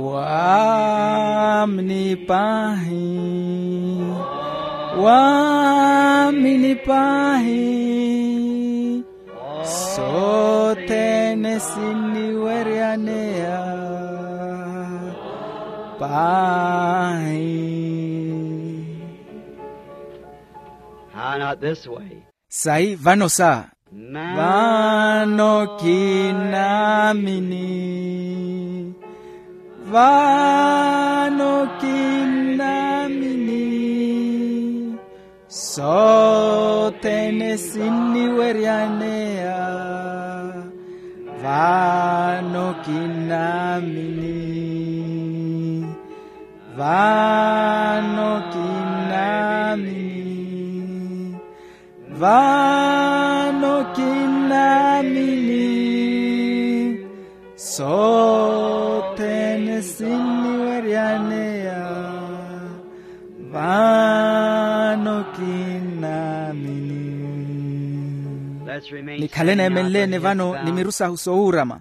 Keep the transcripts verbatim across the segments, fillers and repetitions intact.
Waamini paahi, waamini paahi, sothene sinniweryaneya paahi. How, not this way. Sayi vano sa. Vano kinnaamini, vano kinnaamini, sothene sinniweryaneya, vano kinnaamini, vano kinnaamini. Vano kinnaamini, sothene sinniweryaneya, vano kinnaamini. Nikhale neemenleene vano ni miru sahu soowurama.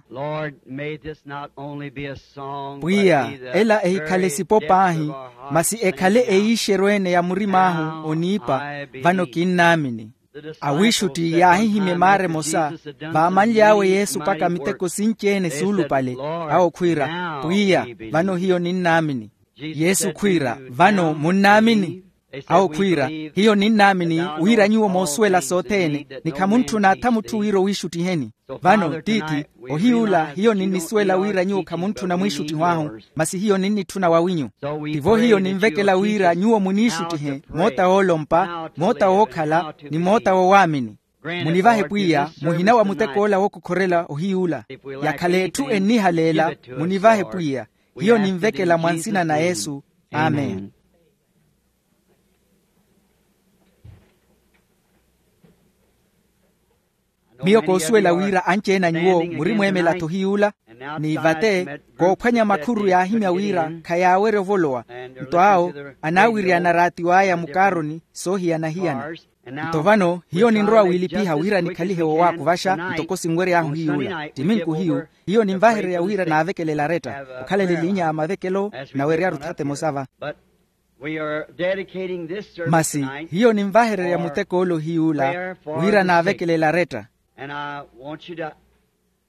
Pwiya, ela ehikhale sipo paahi, masi ekhale eiixeryo-ene ya murim'ahu oniipa. Vano kinnaamini. Awiixutti yaahihimya emaara emosa, vaamanly'awe yesu mpakha miteko sinci-ene suulupale. Awo khwiira, pwiya, vano hiyo ninnaamini. Yesu khwiira, vano munnaamini? Awo khwiira, hiyo ninnaamini wira nyuwo moosuwela sothene, ni khamuntthuna atha mutthu wira owiixuttiheni. Vano tiithi, ohiy'ula hiyo ninnisuwela wira nyuwo khamuntthuna mwiixuttiho ahu, masi hiyo ninnitthuna wawinyu. Tivo hiyo ninvekela wira nyuwo muniixuttihe moota woolompa, moota wookhala, ni moota wowaamini. Munivahe pwiya muhina wa mutek'ola wookokhorela ohiy'ula. Yakhala etthu ennihaleela, munivahe pwiya. Hiyo ninvekela mwa nsina na yesu. Amen. Miyo koosuwela wira anci-ene a nyuwo murimweemela-tho hiy'ula. Ni vate, koophwanya makhuru yaahimya wira khayaawerya ovolowa. Nto awo anaawiriyana raatiw'aya mukaaroni soohiyana-hiyana. Nto vano hiyo ninrowa wiilipiha wira nikhalihe wowaakuvaxa ntoko sinwery'ahu hiy'ula ttiminku hiyu. Hiyo ninvahereya wira naavekelela aretta okhalele elinya a mavekelo. Naweryaru thata emosa va. Masi hiyo ninvahererya mutek'ole ohiy'ula wira naavekelela aretta.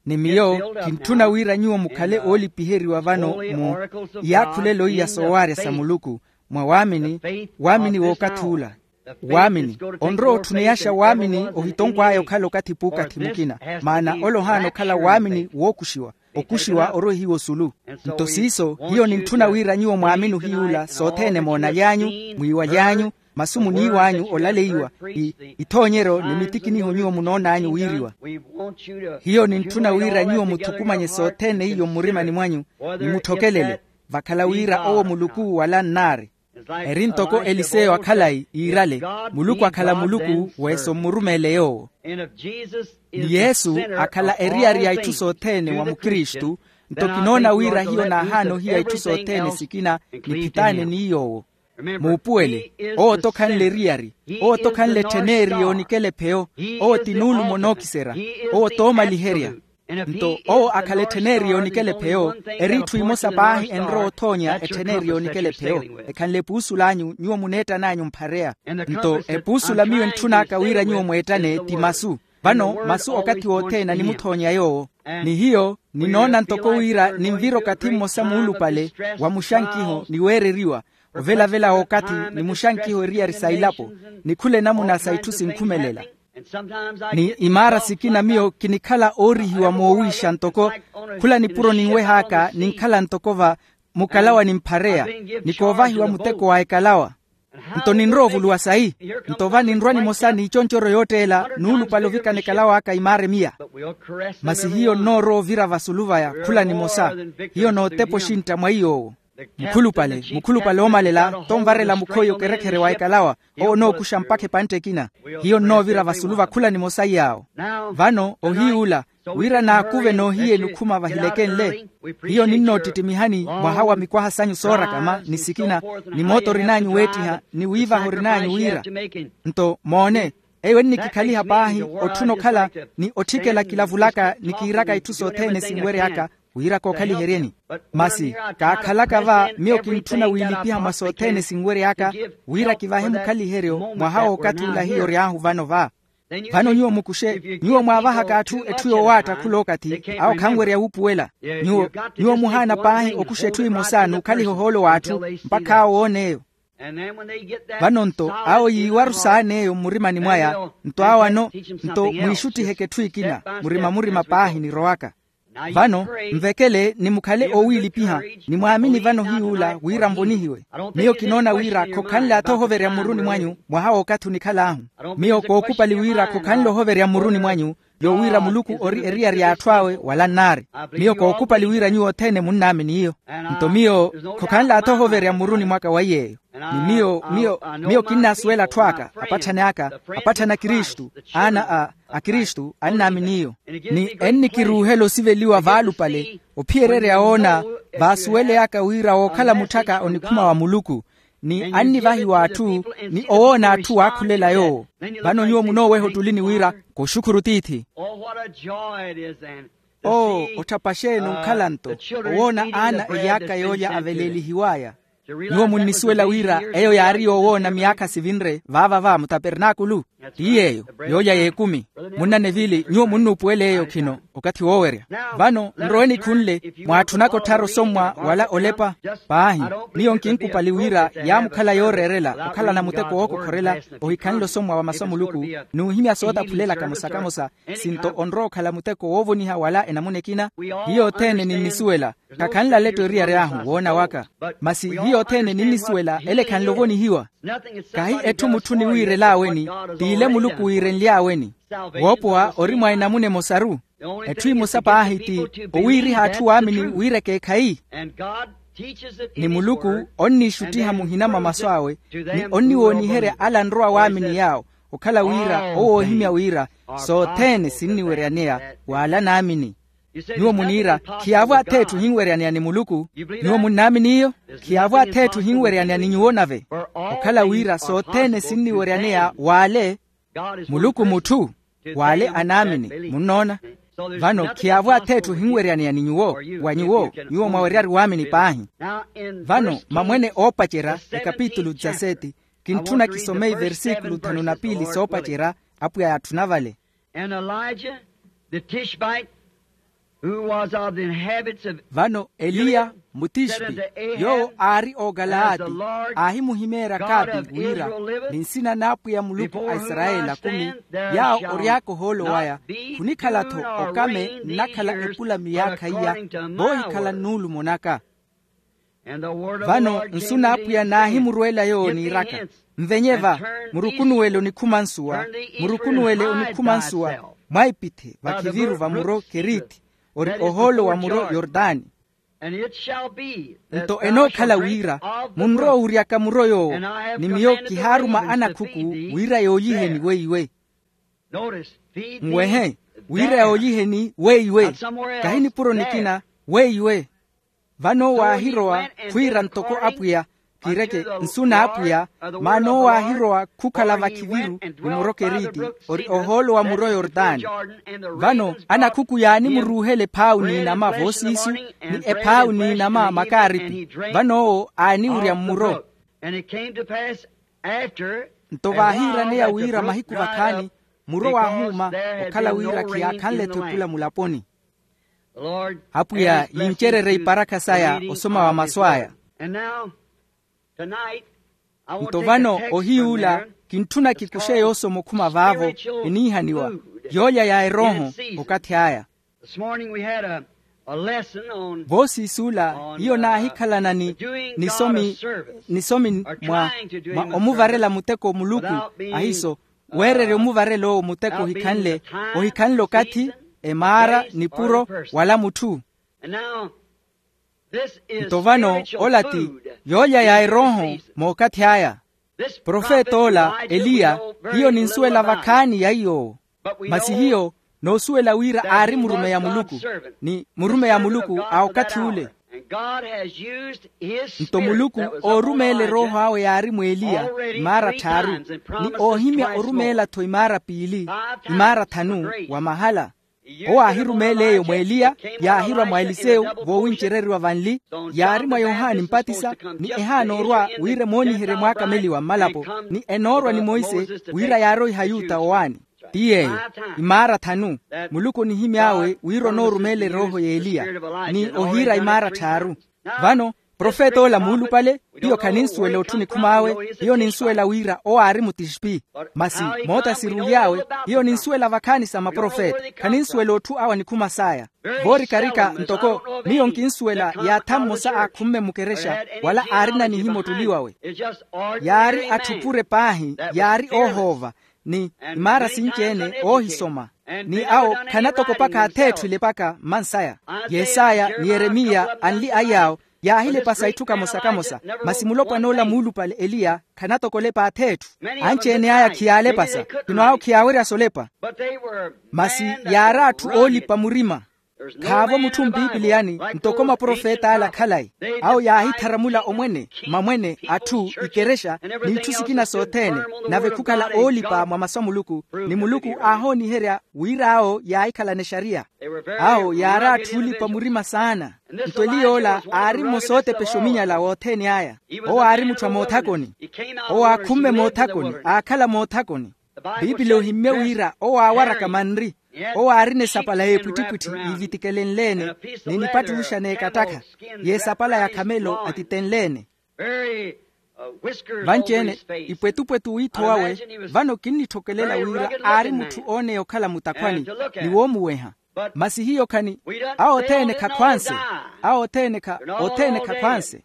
Ni miyo kintthuna wira nyuwo mukhale oolipiheriwa vano mu iyaakhulelo iya soowaarya sa muluku, mwa waamini, waamini w'okathi ula. Waamini onrowa otthuniyaxa waamini ohitonkw'aya okhala okathi p'ukathi mukina. Maana ole ohaana okhala waamini wookuxiwa. Okuxiwa oroihiwa osulu. Nto siiso hiyo nintthuna wira nyuwo mwaamini ohiy'ula sothene moonaly'anyu, mwiiwaly'anyu, masu muniiw'anyu olaleiwa, ithoonyeryo ni mitikiniho nyuwo munoon'anyu wiiriwa. Hiyo nintthuna wira nyuwo muthukumanye sothene iyo mmurimani mwanyu, ni mutthokelele, vakhala wira owo muluku wala nnaari. Eri ntoko eliseyo akhalayi iirale, muluku akhala muluku, weeso mmurumeele yoowo. Ni yesu akhala eriyari ya itthu sothene wa mukristu. Nto kinoona wira hiyo naahaana ohiya itthu sothene sikina, niphitaane ni yoowo. Muupuwele, owo t'okhanle eriyari, owo t'okhanle ettheneri yoonikela epheyo, owo ti nuulumo nookiserya, owo t'omaliherya. Nto owo akhala ettheneri yoonikela epheyo, eri itthu imosa paahi enrowa othoonya ettheneri yoonikela epheyo. Ekhanle epuusul'anyu nyuwo muneettan'anyu mphareya. Nto epuusula miyo entthun'aka wira nyuwo mweettane ti masu. Vano masu okathi wothene animuthoonya yoowo. Ni hiyo ninoona ntoko wira ninvira okathi mmosa muulupale wa muxankiho niweereriwa, ovelavela w'okathi ni muxankiho eriyari sa ilapo, ni khula enamuna sa itthu sinkhumelela. Ni imaara sikina miyo kinikhala oorihiwa moowiixa ntoko khula nipuro ninweh'aka ninkhala ntoko va mukalawa nimphareya, ni koovahiwa muteko wa ekalawa. Nto ninrowa ovuluwa sayi? Nto va ninrwa nimosa n'iconcoryo yootteela nuulupale ovikana ekalaw'aka imaara emiya. Masi hiyo nnoorowa ovira vasulu vaya khula nimosa. Hiyo nootepa oxintta mwa iy'owo. Mukhulupale mukhulupale oomalela t'onvarela mukhoyi okerekhere wa ekalawa. Owo onookuxa mpakha epantte ekina. Hiyo nnoovira vasulu va khula nimosa iy'awo. Vano ohiy'ula wira naakuve noohiye nikhuma vahilekenle. Hiyo ninnootittimihani mwaha wa mikwaha sanyu soorakama ni sikina, ni moota orin'anyu weettiha ni wiivaha orin'anyu wira. Nto moone, eyo ennikikhaliha paahi otthuna okhala ni otthikela kilavulaka ni kiiraka itthu sothene sinwery'aka. wira kookhaliheryeni. Masi kaakhalaka va miyo kintthuna wiilipiha mwa sothene sinwery'aka, wira kivahe mukhaliheryo mwaha w'okathi ula hiyo ory'ahu vano va. Vano nyuwo mukuxe, nyuwo mwaavahaka atthu etthu yoowaatta khula okathi awo khanwerya wuupuwela. Nyuwo nyuwo muhaana paahi okuxa etthu emosa n'ukhaliha ohoolo w'atthu mpakha awo oon'eyo. Vano-nto awo yiiwaru saan'eyo mmurimani mwaya. Nto awo ano nto mwiixuttiheke etthu ekina murima-murima paahi nirowaka. Vano nvekele ni mukhale oowiilipiha, ni mwaamini vano hiy'ula wira nvonihiwe. Miyo kinoona wira khokhanle atha ohoverya mmuruni mwanyu mwaha w'okathi onikhal'ahu. Miyo kookupali wira khokhanle ohoverya mmuruni mwanyu yowira muluku ori eriyari y'atthu awe wala nnaari. Miyo kookupali wira nyuwo othene munnaamini iyo. Nto miyo khokhanle atha ohoverya mmuruni mwaka wa iy'eyo. Ni miyo miyo miyo kinnasuwela atthu aka apatthani aka apatthani a kristu, aana a a kristu annaamini iyo. Ni ennikiruuhela osiveliwa vaalupale ophiyererya woona vaasuweleyaka wira wookhala mutthaka onikhuma wa muluku, ni annivahiwa atthu ni owoona atthu waakhulela yoowo. Vano nyuwo munooweha ottulini wira koxukhuru tiithi. Oo otthapaxeeni onkhala-nto owoona aana eyaaka yoolya aveleelihiw'aya. Nyuwo munnisuwela wira eyo yaari yoowoona miyaakha sivinre vaava va mutapernaakulu. Ti yeeyo yoolya y'ekumi. Munnanevili nyuwo munnuupuwela eyo khino okathi woowerya. Vano nrowe nikhunle mwaatthunaka otthara osommwa wala olepa. Paahi miyo nkinkupali wira yaamukhala yooreerela okhalana muteko wookokhorela ohikhanle osommwa wa masu a muluku n'uhimya sootaphulelaka mosa kamosa. Sinto onrowa okhala muteko woovoniha wala enamuna ekina. Hiyo othene ninnisuwela khakhanle aletto eriyari ahu woona waka. Masi hiyo othene ninnisuwela ele ekhanle ovonihiwa. Kahi etthu mutthu niwiirel'aweni t'ile muluku wiirenly'aweni. Woopowa ori mwa enamuna emosaru. Etthu emosa paahi ti owiiriha atthu waamini wira ekeekhayi. Ni muluku onniixuttiha muhina mwa masu awe ni onniwooniherya ala anrowa waamini yaawo okhala wira owoohimya wira sothene sinniweryaneya w'ala naamini. Nyuwo muniira khiyaavo ath'etthu ohinweryaneya ni muluku. Nyuwo munnaamini iyo? Khiyaavo ath'etthu ohinweryaneya ni nyuwo nave okhala wira sothene sinniweryaneya w'ale muluku mutthu w'ale anaamini. Munnoona? Vano khiyaavo ath'etthu ohinweryaneya ni nyuwo wa nyuwo nyuwo mwaweryari waamini paahi. Vano mamwene oopacerya ekapitulu dezaseti kintthuna kisome iversikulu thanu na piili soopacerya apwiya yaatthuna vale. And Elijah the Tishbite, who was of the inhabitants of Vano eliya mutishpi yoowo aari ookalaati aahimuhimeerya kaapi wira ni nsina n'apwiya muluku a isarayeli akumi yaawo ory'aka ohoolo waya khunikhala-tho okame nnakhala epula miyaakha iya voohikhala nnuulumo naka. Vano nsu n'apwiya naahimurweela yoowo niiraka, nvenye va murukunuwele onikhuma nsuwa murukunuwele onikhuma nsuwa mwaipithe vakhiviru va muro keriti ori ohoolo wa muro yortani. Nto enookhala wira munrowa owuryaka muro yoowo ni miyo kihaaruma anakhuku wira yooliheni weiwe. Nwehe wira yooliheni weiwe kahi nipuro nikina weiwe. Vano owo aahirowa khwiira ntoko apwiya kiireke nsu n'apwiya maana owo aahirowa khukhala vakhiviru ni muro keriti ori ohoolo wa muro yortani. Vano anakhuku yaanimuruuhela ephaawu n'inama voosiisu ni ephaawu n'inama makaaripi. Vano owo aaniwurya mmuro. Nto vaahiiraneya wira mahiku vakhaani muro waahuuma okhala wira khiyaakhanle-tho epula mulaponi. Apwiya yincererye iparakha saya osoma wa masu aya. Nto vano ohiy'ula kintthuna kikuxe yoosoma okhuma vaavo eniihaniwa yoolya ya erooho okathi aya. Voosiis'ula hiyo naahikhalana ni nisomi nisomi mwa mwa omuvarela muteko muluku ahiiso weererya omuvarela owo muteko ohikhanle ohikhanle okathi emaara nipuro wala mutthu. Nto vano ola ti yoolya ya erooho mookathi aya. Profet'ola eliya hiyo ninsuwela vakhaani ya iy'owo. Masi hiyo noosuwela wira aari murumeyi a muluku ni murumeyi a muluku a okathi ule. Nto muluku oorumeela erooho awe yaari mw'eliya imaara tthaaru ni oohimya orumeela-tho imaara piili imaara thanu wa mahala. Owo aahirumeela eyo mwa eliya, yaahirwa mwa elisewu, voowincereriwa vanli. Yaari mwa yohani mpatisa, ni ehaana orwa wira emooniherye mwaaka ameliwa mmalapo, ni enoorwa ni monse, wira yaaroiha yuta owaani. Ti yeeyo, imaara thanu. Muluku onihimy'awe wira onoorumeela erooho y'eliya, ni ohiira imaara tthaaru. Vano profet'ola muulupale, hiyo khaninsuwela otthu onikhum'awe. Hiyo ninsuwela wira owo aari mutixpi. Masi moota siruly'awe, hiyo ninsuwela vakhaani sa maprofeta. Khaninsuwela otthu awo anikhuma saya. Voorikarika ntoko miyo nkinsuwela, yaatha mmosa aakhumme mukerexa, wala aarina nihima ottuli wawe. Yaari atthupure paahi, yaari oohoova, ni imaara sinci-ene oohisoma. Ni awo khanatokopaka ath'etthu ilepaka mmansaya. Yesaya ni yeremiya anli ay'awo yaahilepasa itthu kamosa-kamosa. Masi mulopwan'ola muulupale eliya khanatokolepa ath'etthu. Anci-ene aya khiyaalepasa, khino awo khiyaawerya solepa. Masi yaari atthu oolipa murima. Khaavo mutthu mpipiliyani ntoko maprofet'ala khalayi. Awo yaahitharamula omwene, mamwene, atthu, ikerexa, n'itthu sikina sothene. Nave khukhala oolipa mwa masu a muluku, ni muluku aahooniherya wira awo yaahikhalana exariya. Awo yaari atthu oolipa murima saana. Nto eliy'ola aari mmosa ootepexa ominyala wothene aya. Owo aari mutthu a moothakoni. Owo aakhumme moothakoni, aakhala moothakoni. Piipili ohimmye wira owo aawaraka manri. Owo aarina esapala y'epwittipwitthi yiivitikelenle-ene, ni nipattuxa n'ekatakha, y'esapala ya khamelo atitenle-ene. Vanci-ene, ipwetupwetu w'ittho wawe. Vano kinnitthokelela wira aari mutthu ooneya okhala mutakhwani, ni woomuweha. Masi hiyo khani, awo othene khakhwanse. Awo othene kha othene khakhwanse.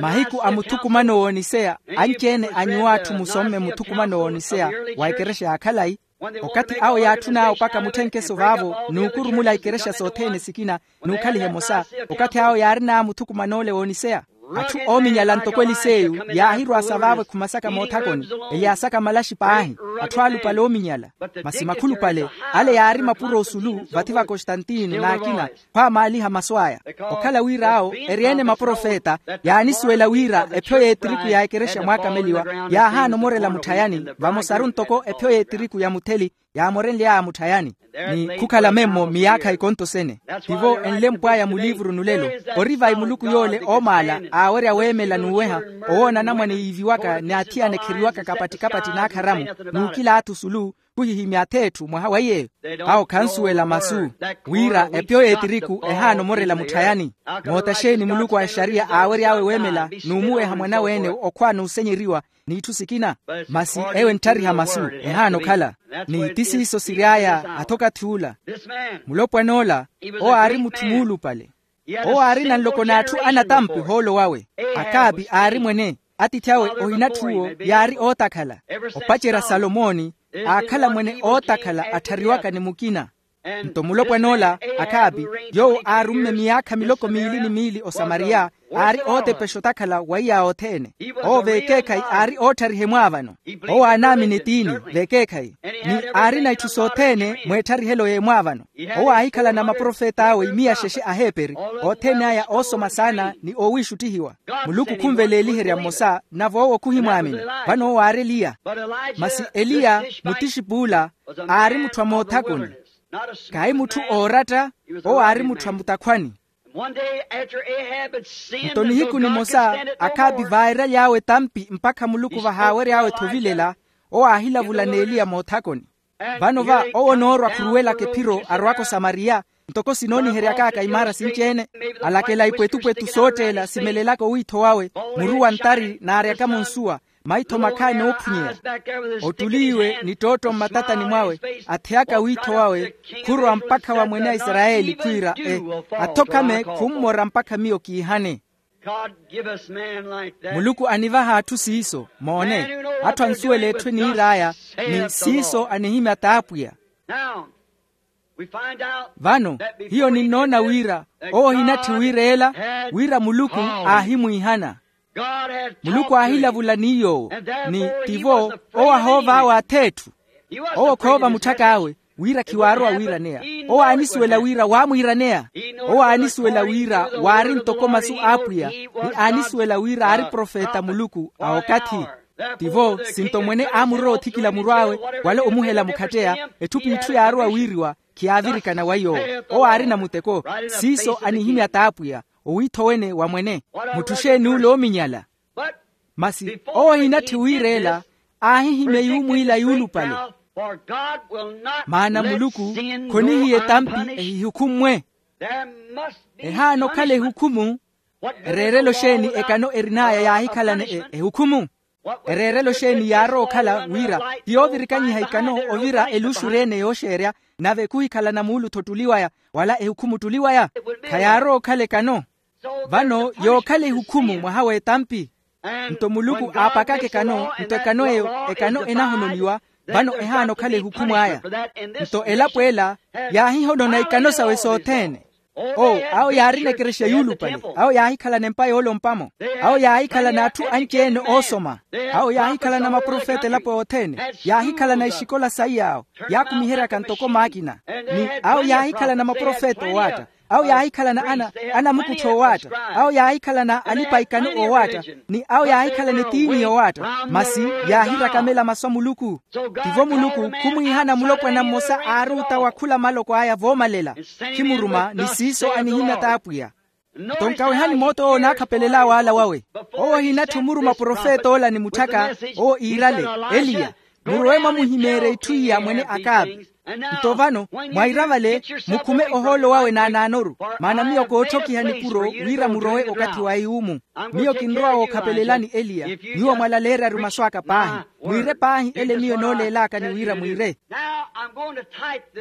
Mahiku a muthukumano wooniseya, anci-ene a nyuwo atthu musomme muthukumano wooniseya wa ekerexa ya khalayi. Okathi awo yaatthun'awe opaka mutthenkeso vaavo n'ukurumula ikerexa sothene sikina, n'ukhaliha emosa. Okathi awo yaarin'awe muthukuman'ole wooniseya. Atthu oominyala ntoko eliseyu yaahirwa sa vaavo ekhuma saka moothakoni. Eyaasaka malaxi paahi. Atthu aalupale oominyala. Masi makhulupale ale yaari mapuro osulu vathi va kostantino n'akina, khwaamaaliha masu aya. Okhala wira awo eri-ene maprofeta, yaanisuwela wira ephyo y'etiriku ya ekerexa mwaakameliwa yaahaana omorela mutthayani, vamosaru ntoko ephyo y'etiriku ya mutheli yaamorenly'aya mutthayani. Ni khukhala memmo miyaakha ikonto sene. Tivo enlempw'aya muliivuru nulelo. Ori vai muluku yoole oomaala aawerya weemela n'uweha, owoona anamwane yiiviwaka ni athiyana ekheriwaka kapattikapatti n'akharamu, n'ukila atthu sulu, khuhihimya ath'etthu mwaha wa yeeyo. Awo khansuwela masu wira epyo y'etiriku ehaana omorela mutthayani. Moota xeeni muluku a exariya aawery'awe weemela n'umuweha mwan'awe-ene okhwa n'usenyeriwa, n'itthu sikina? Masi eyo entthariha masu, ehaana okhala. Ni ti siiso siry'aya. Athokathi ula, mulopwan'ola, owo aari mutthu muulupale. Owo aarina nloko n'atthu anatampi ohoolo wawe. Akaapi aari mwene. Atiithi awe ohinatthuwo yaari ootakhala. Opacerya salomoni aakhala mwene ootakhala atthariwaka ni mukina. Nto mulopwan'ola, akaapi, yoowo aarumme miyaakha miloko miili ni miili osamariya, aari ootepexa otakhala wa iy'awo othene. Owo vekeekhayi aari ootthariha emwaavano. Owo aanaamini etiini vekeekhayi, ni aarina itthu sothene mw'ettharihelo y'emwaavano. Owo aahikhalana maprofet'awe imiya xexe aheeperi, othene aya oosoma saana ni oowiixuttihiwa. Muluku khunveleeliherya mmosa, nave owo khuhimwaamini. Vano owo aari eliya. Masi eliya, mutixip'ula, aari mutthu a moothakoni. Kaahi mutthu ooratta. Owo aari mutthu a mutakhwani. Nto nihiku nimosa, akhaapi vaairaly'awe etampi mpakha muluku vahaawery'awe-tho ovilela. Owo aahilavula n'eliya moothakoni. Vano va owo onoorwa khuruwelaka ephiro arowaka osamariya, ntoko sinooniheryak'aka imaara sinci-ene. Alakela ipwetupwetu sootteela simelelaka owiitho wawe, muru wa ntari n'aryakamo nsuwa, maitho makhaani oophunyeya. Ottuliiwe ni ttootto mmatatani mwawe, atheyaka wiitho wawe, khurowa mpakha wa mwene a isarayeli khwiira e, athokhame khummora mpakha miyo kiihane. Muluku anivaha atthu siiso moone. Atthu ansuwela etthu eniir'aya, ni siiso anihimya t'apwiya. Vano hiyo ninnoona wira owo ohinatthi wiireela, wira muluku aahimwiihana. Muluku aahilavula ni yoowo, ni tivo owo ahoov'awe ath'etthu. Owo khoova mutthak'awe, wira khiwaarowa wiiraneya. Owo aanisuwela wira waamwiiraneya. Owo aanisuwela wira waari ntoko masu a apwiya, ni aanisuwela wira aari profeta a muluku a okathi. Tivo sinto mwene aamurira othikila muru awe, wala omuhela mukhatteya etthu p'itthu yaarowa wiiriwa, khiyaavirikana wa yoowo. Owo aarina muteko. Siiso anihimya t'apwiya, owiitho wene wa mwene. Mutthu xeeni ule oominyala? Masi owo ohinatthi wiireela, aahihimya yuumwiila yuulupale. Maana muluku khonihiya etampi ehihukhummwe. Ehaana okhala ehukhumu. Ereerelo xeeni ekano erin'aya yaahikhalana ehukhumu? Ereerelo xeeni yaarowa okhala wira ti yoovirikanyiha ikano ovira eluxuri ene yooxeerya, nave khuhikhalana muulutho ttuli waya, wala ehukhumu ttuli waya? Khayaarowa okhala ekano. Vano yookhala ehukhumu mwaha w'etampi. Nto muluku aapakaka ekano nto ekano eyo, ekano enahononiwa. Vano ehaana okhala ehukhumu aya. Nto elapo ela yaahihonona ikano sawe sothene. Oo, awo yaarina ekerexa yuulupale. Awo yaahikhalana empa yoolompamo. Awo yaahikhalana atthu anci-ene oosoma. Awo yaahikhalana maprofeta elapo yothene. Yaahikhalana exikola saiy'awo, yaakumiheryaka ntoko maakina. Ni awo yaahikhalana maprofeta owaatta. Awo yaahikhalana ana anamukuttho owaatta. Awo yaahikhalana alipa ikano owaatta. Ni awo yaahikhalana etiini yowaatta. Masi yaahirakamela masu a muluku. Tivo muluku khumwiihana mulopwana mmosa aaruuta wa khula maloko aya voomalela. Khimuruma ni siiso anihimya t'apwiya. Nto nkawehani moota owo onaakhapelel'awe ala wawe. Owo ohinatthi omuruma profeta ola ni mutthaka. Owo iirale, eliya, murowe mwamuhimeerye itthu iya mwene akapi. Nto vano mwaira vale, mukhume ohoolo wawe naanaanoru. Maana miyo kootthokiha nipuro wira murowe okathi wa eyuumu. Miyo kinrowa wookhapelelani eliya. Nyuwo mwalaleeryaryu masu aka paahi. Mwiire paahi ele miyo enooleelaka ni wira mwiire.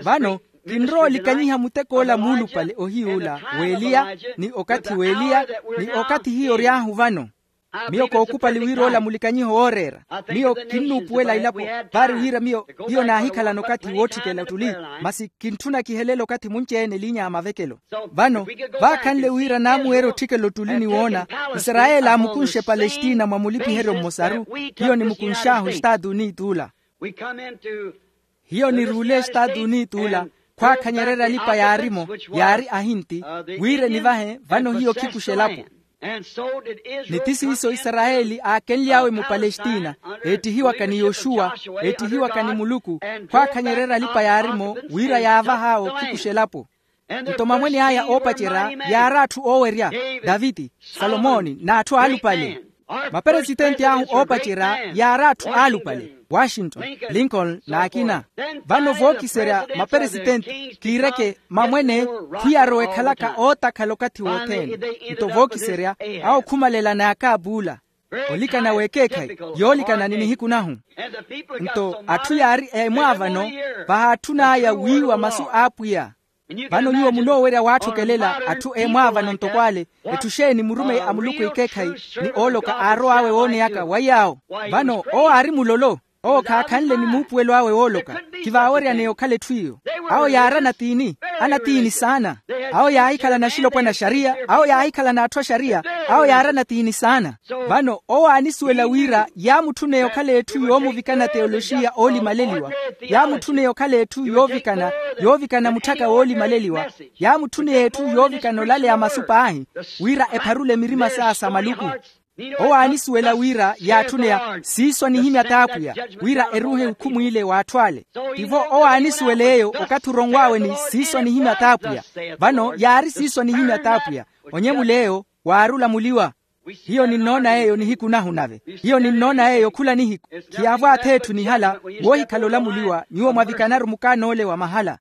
Vano kinrowa olikanyiha mutek'ola muulupale ohiy'ula w'eliya, ni okathi w'eliya, ni okathi hiyo ory'ahu vano. Miyo kookupali wira ola mulikanyiho wooreera. Miyo kinnuupuwela ilapo, vaari wira miyo hiyo naahikhalana okathi wootthikela ottuli. Masi kintthuna kihelele okathi munci-ene eliinya ya mavekelo. Vano vaakhanle wira naamuweerya otthikela ottuli ni woona isarayeli aamukunxe palestina mwa mulipiheryo mmosaru. Hiyo nimukunx'ahu estaatu unit'ula. Hiyo niruule estaatu unit'ula, khwaakhanyererya alipa yaarimo, yaari ahinti, wira enivahe vano hiyo khikuxa elapo. Ni ti siiso isarayeli aakenly'awe mupalestina, eettihiwaka ni yoxuwa, eettihiwaka ni muluku, khwaakhanyererya alipa yaarimo wira yaavah'awe okhikuxa elapo. Nto mamwene aya oopacerya yaari atthu oowerya, daviti, salomoni n'atthu aalupale. Maperesitenti ahu oopacerya yaari atthu aalupale, washington, lincoln n'akina. Vano vookiserya maperesitenti kiireke mamwene, khwiyarowa ekhalaka ootakhala okathi wothene. Nto vookiserya awo khumalela n'akaapuula. Olikana w'ekeekhayi yoolikana ni nihiku nahu. Nto atthu yaari emwaavano, vahaatthun'aya wiiwa masu a apwiya. Vano nyuwo munoowerya waatthokelela atthu emwaavano ntoko ale. Etthu xeeni murumeyi a muluku ekeekhayi ni ooloka aarow'awe wooneyaka wa iy'awo? Vano owo aari mulolo. Owo khaakhanle ni muupuwelo awe wooloka. Khivaaweryaneya okhala etthu iyo. Awo yaari anatiini, anatiini saana. Awo yaahikhala na axilopwana a xariya, awo yaahikhala n'atthu a xariya. Awo yaari anatiini saana. Vano owo aanisuwela wira yaamutthuneya okhala etthu yoomuvikana teoloxiya oolimaleliwa. Yaamutthuneya okhala etthu yoovikana, yoovikana mutthaka woolimaleliwa. Yaamutthuneya etthu yoovikana olaleya masu paahi, wira epharule mirima saya sa maluku. Owo aanisuwela wira yaatthuneya siiso anihimya t'apwiya, wira eruuhe ehukhumw'ile w'atthu ale. Tivo owo aanisuwela eyo okathi oronw'awe ni siiso anihimya t'apwiya. Vano yaari siiso anihimya t'apwiya. Onyemuleyo waari olamuliwa. Hiyo ninnoona yeeyo nihiku nahu nave. Hiyo ninnoona yeeyo khula nihiku. Khiyaavo ath'etthu nihala, woohikhala olamuliwa nyuwo mwavikanaru mukaan'ole wa mahala.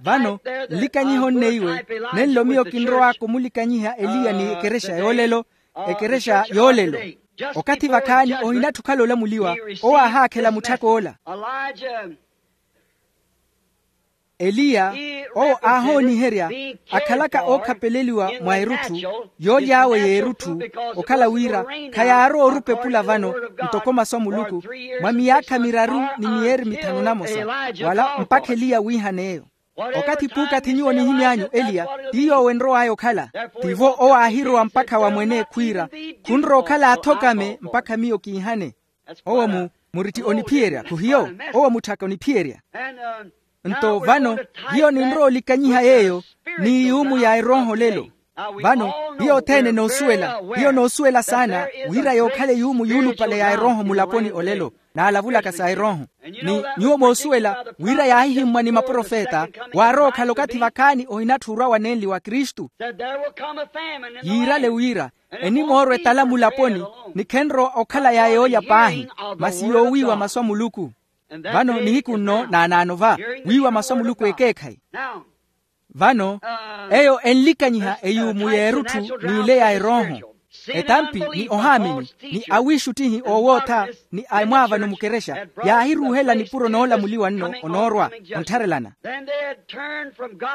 Vano nlikanyihe onneiwe, nenlo miyo kinrow'aka omulikanyiha eliya ni ekerexa yoolelo. Ekerexa yoolelo. Okathi vakhaani ohinatthi okhala olamuliwa, owo aahaakhela mutthak'ola. Eliya, owo aahooniherya akhalaka ookhapeleliwa mwa erutthu, yooly'awe y'erutthu, okhala wira khayaarowa orupa epula vano ntoko masu a muluku, mwa miyaakha miraru ni miyeeri mithanu namosa, wala mpakha eliya wiihan'eyo. Okathi puukathi nyuwo nihimy'anyu eliya, ti yoowo enrow'aya okhala. Tivo owo aahirowa mpakha wa mwene khwiira, khunrowa okhala athokame mpakha miyo kiihane. Owo mu, muritti oniphiyerya khuhiyo? Owo mutthaka oniphiyerya. Nto vano hiyo ninrowa olikanyiha yeeyo ni yuumu ya erooho lelo. Vano hiyo othene noosuwela hiyo noosuwela saana wira yookhala eyuumu yuulupale ya erooho mulaponi olelo, naalavulaka sa erooho. Ni nyuwo moosuwela wira yaahihimmwa ni maprofeta waarowa okhala okathi vakhaani ohinatthu orwa wanenli wa kristu. Yiirale wira enimoorwa etala mulaponi, ni khenrowa okhala ya yoolya paahi, masi yoowiiwa masu a muluku. Vano nihiku nno naanaano va wiiwa masu a muluku ekeekhayi. Vano eyo enlikanyiha eyuumu y'erutthu n'ile ya erooho. Etampi ni ohaamini ni awiixuttihi oowootha ni a emwaavano mukerexa yaahiruuhela nipuro noolamuliwa nno onoorwa onttharelana.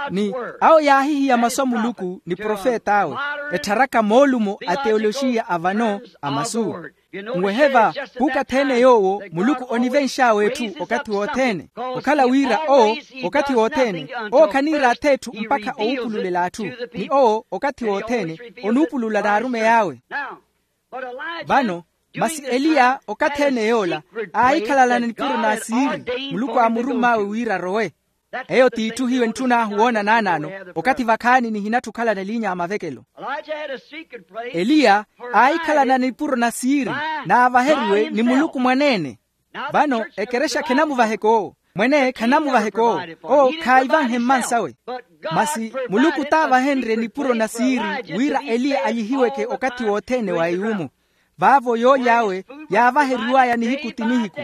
Ni awo yaahihiya masu a muluku ni profet'awe, ettharaka moolumo a teoloxiya a vano a masu. Nwehe va, khuukathi-ene yoowo muluku onivenx'awe etthu okathi wothene. Okhala wira owo okathi wothene owo khaniira ath'etthu mpakha owupululela atthu, ni owo okathi wothene onuupulula naarumeyi awe. Vano masi eliya okathi-ene yoola aahikhalalana nipuro na siiri, muluku aamurumm'awe wira arowe. Eyo t'itthu hiyo entthun'ahu woona naanaano, okathi vakhaani nihinatthu okhalana eliinya a mavekelo. Eliya aahikhalana nipuro na siiri naavaheriwe ni muluku mwaneene. Vano ekerexa khenamuvaheka owo, mwene khanamuvaheka owo, owo khaayivanhe mmansawe. Masi muluku t'avahenrye nipuro na siiri wira eliya alyihiweke okathi wothene wa eyuumu. Vaavo yooly'awe yaavaheriw'aya nihiku ti nihiku.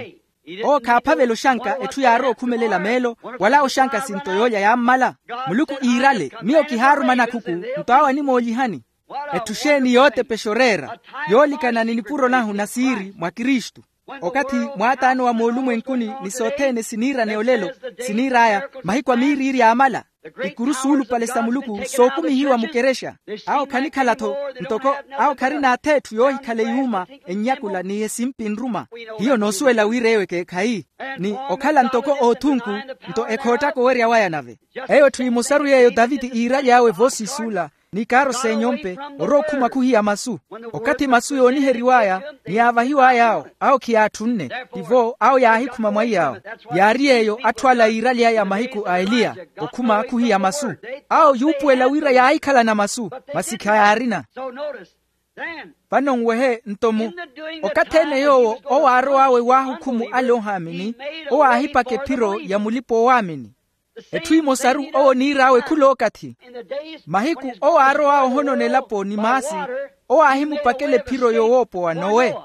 Owo khaaphavela oxanka etthu yaarowa okhumelela meelo, wala oxanka sinto yoolya yaammala. Muluku iirale miyo kihaaruma nakhuku, nto awo animoolihani. Etthu xeeni yootepexa oreera yoolikana ni nipuro nahu na siiri mwa kristu. Okathi mwaataano wa moolumwenkuni ni sothene siniirane olelo, siniir'aya mahiku a miiriiri yaamala. Ikuru suulupale sa muluku sookumihiwa mukerexa. Awo khanikhala-tho ntoko awo kharina ath'etthu yoohikhala eyuuma ennyakula ni esimpi nruma. Hiyo noosuwela wira eyo ekeekhayi ni okhala ntoko oothunku, nto ekhoottaka owerya waya nave. Eyo etthu emosaru yeeyo taviti iiraly'awe voosiisuula n'ikaaro s'enyompe, orowa okhuma khuhiya masu. Okathi masu yooniheriw'aya ni yaavahiw'ay'awo, awo khiyaatthunne. Tivo awo yaahikhuma mwaiy'awo. Yaari yeeyo atthu ala yiiraly'aya mahiku a eliya, okhuma khuhiya masu. Awo yuupuwela wira yaahikhalana masu, masi khayaarina. Vano nwehe nto mu okathi-ene yoowo owo aarow'awe waahukhumu ale ohaamini, owo aahipaka ephiro ya mulipa oowaamini. Etthu emosaru owo oniir'awe khul'okathi. Mahiku owo aarow'awe ohonona elapo ni maasi, owo aahimupakela ephiro yoowoopowa nowe.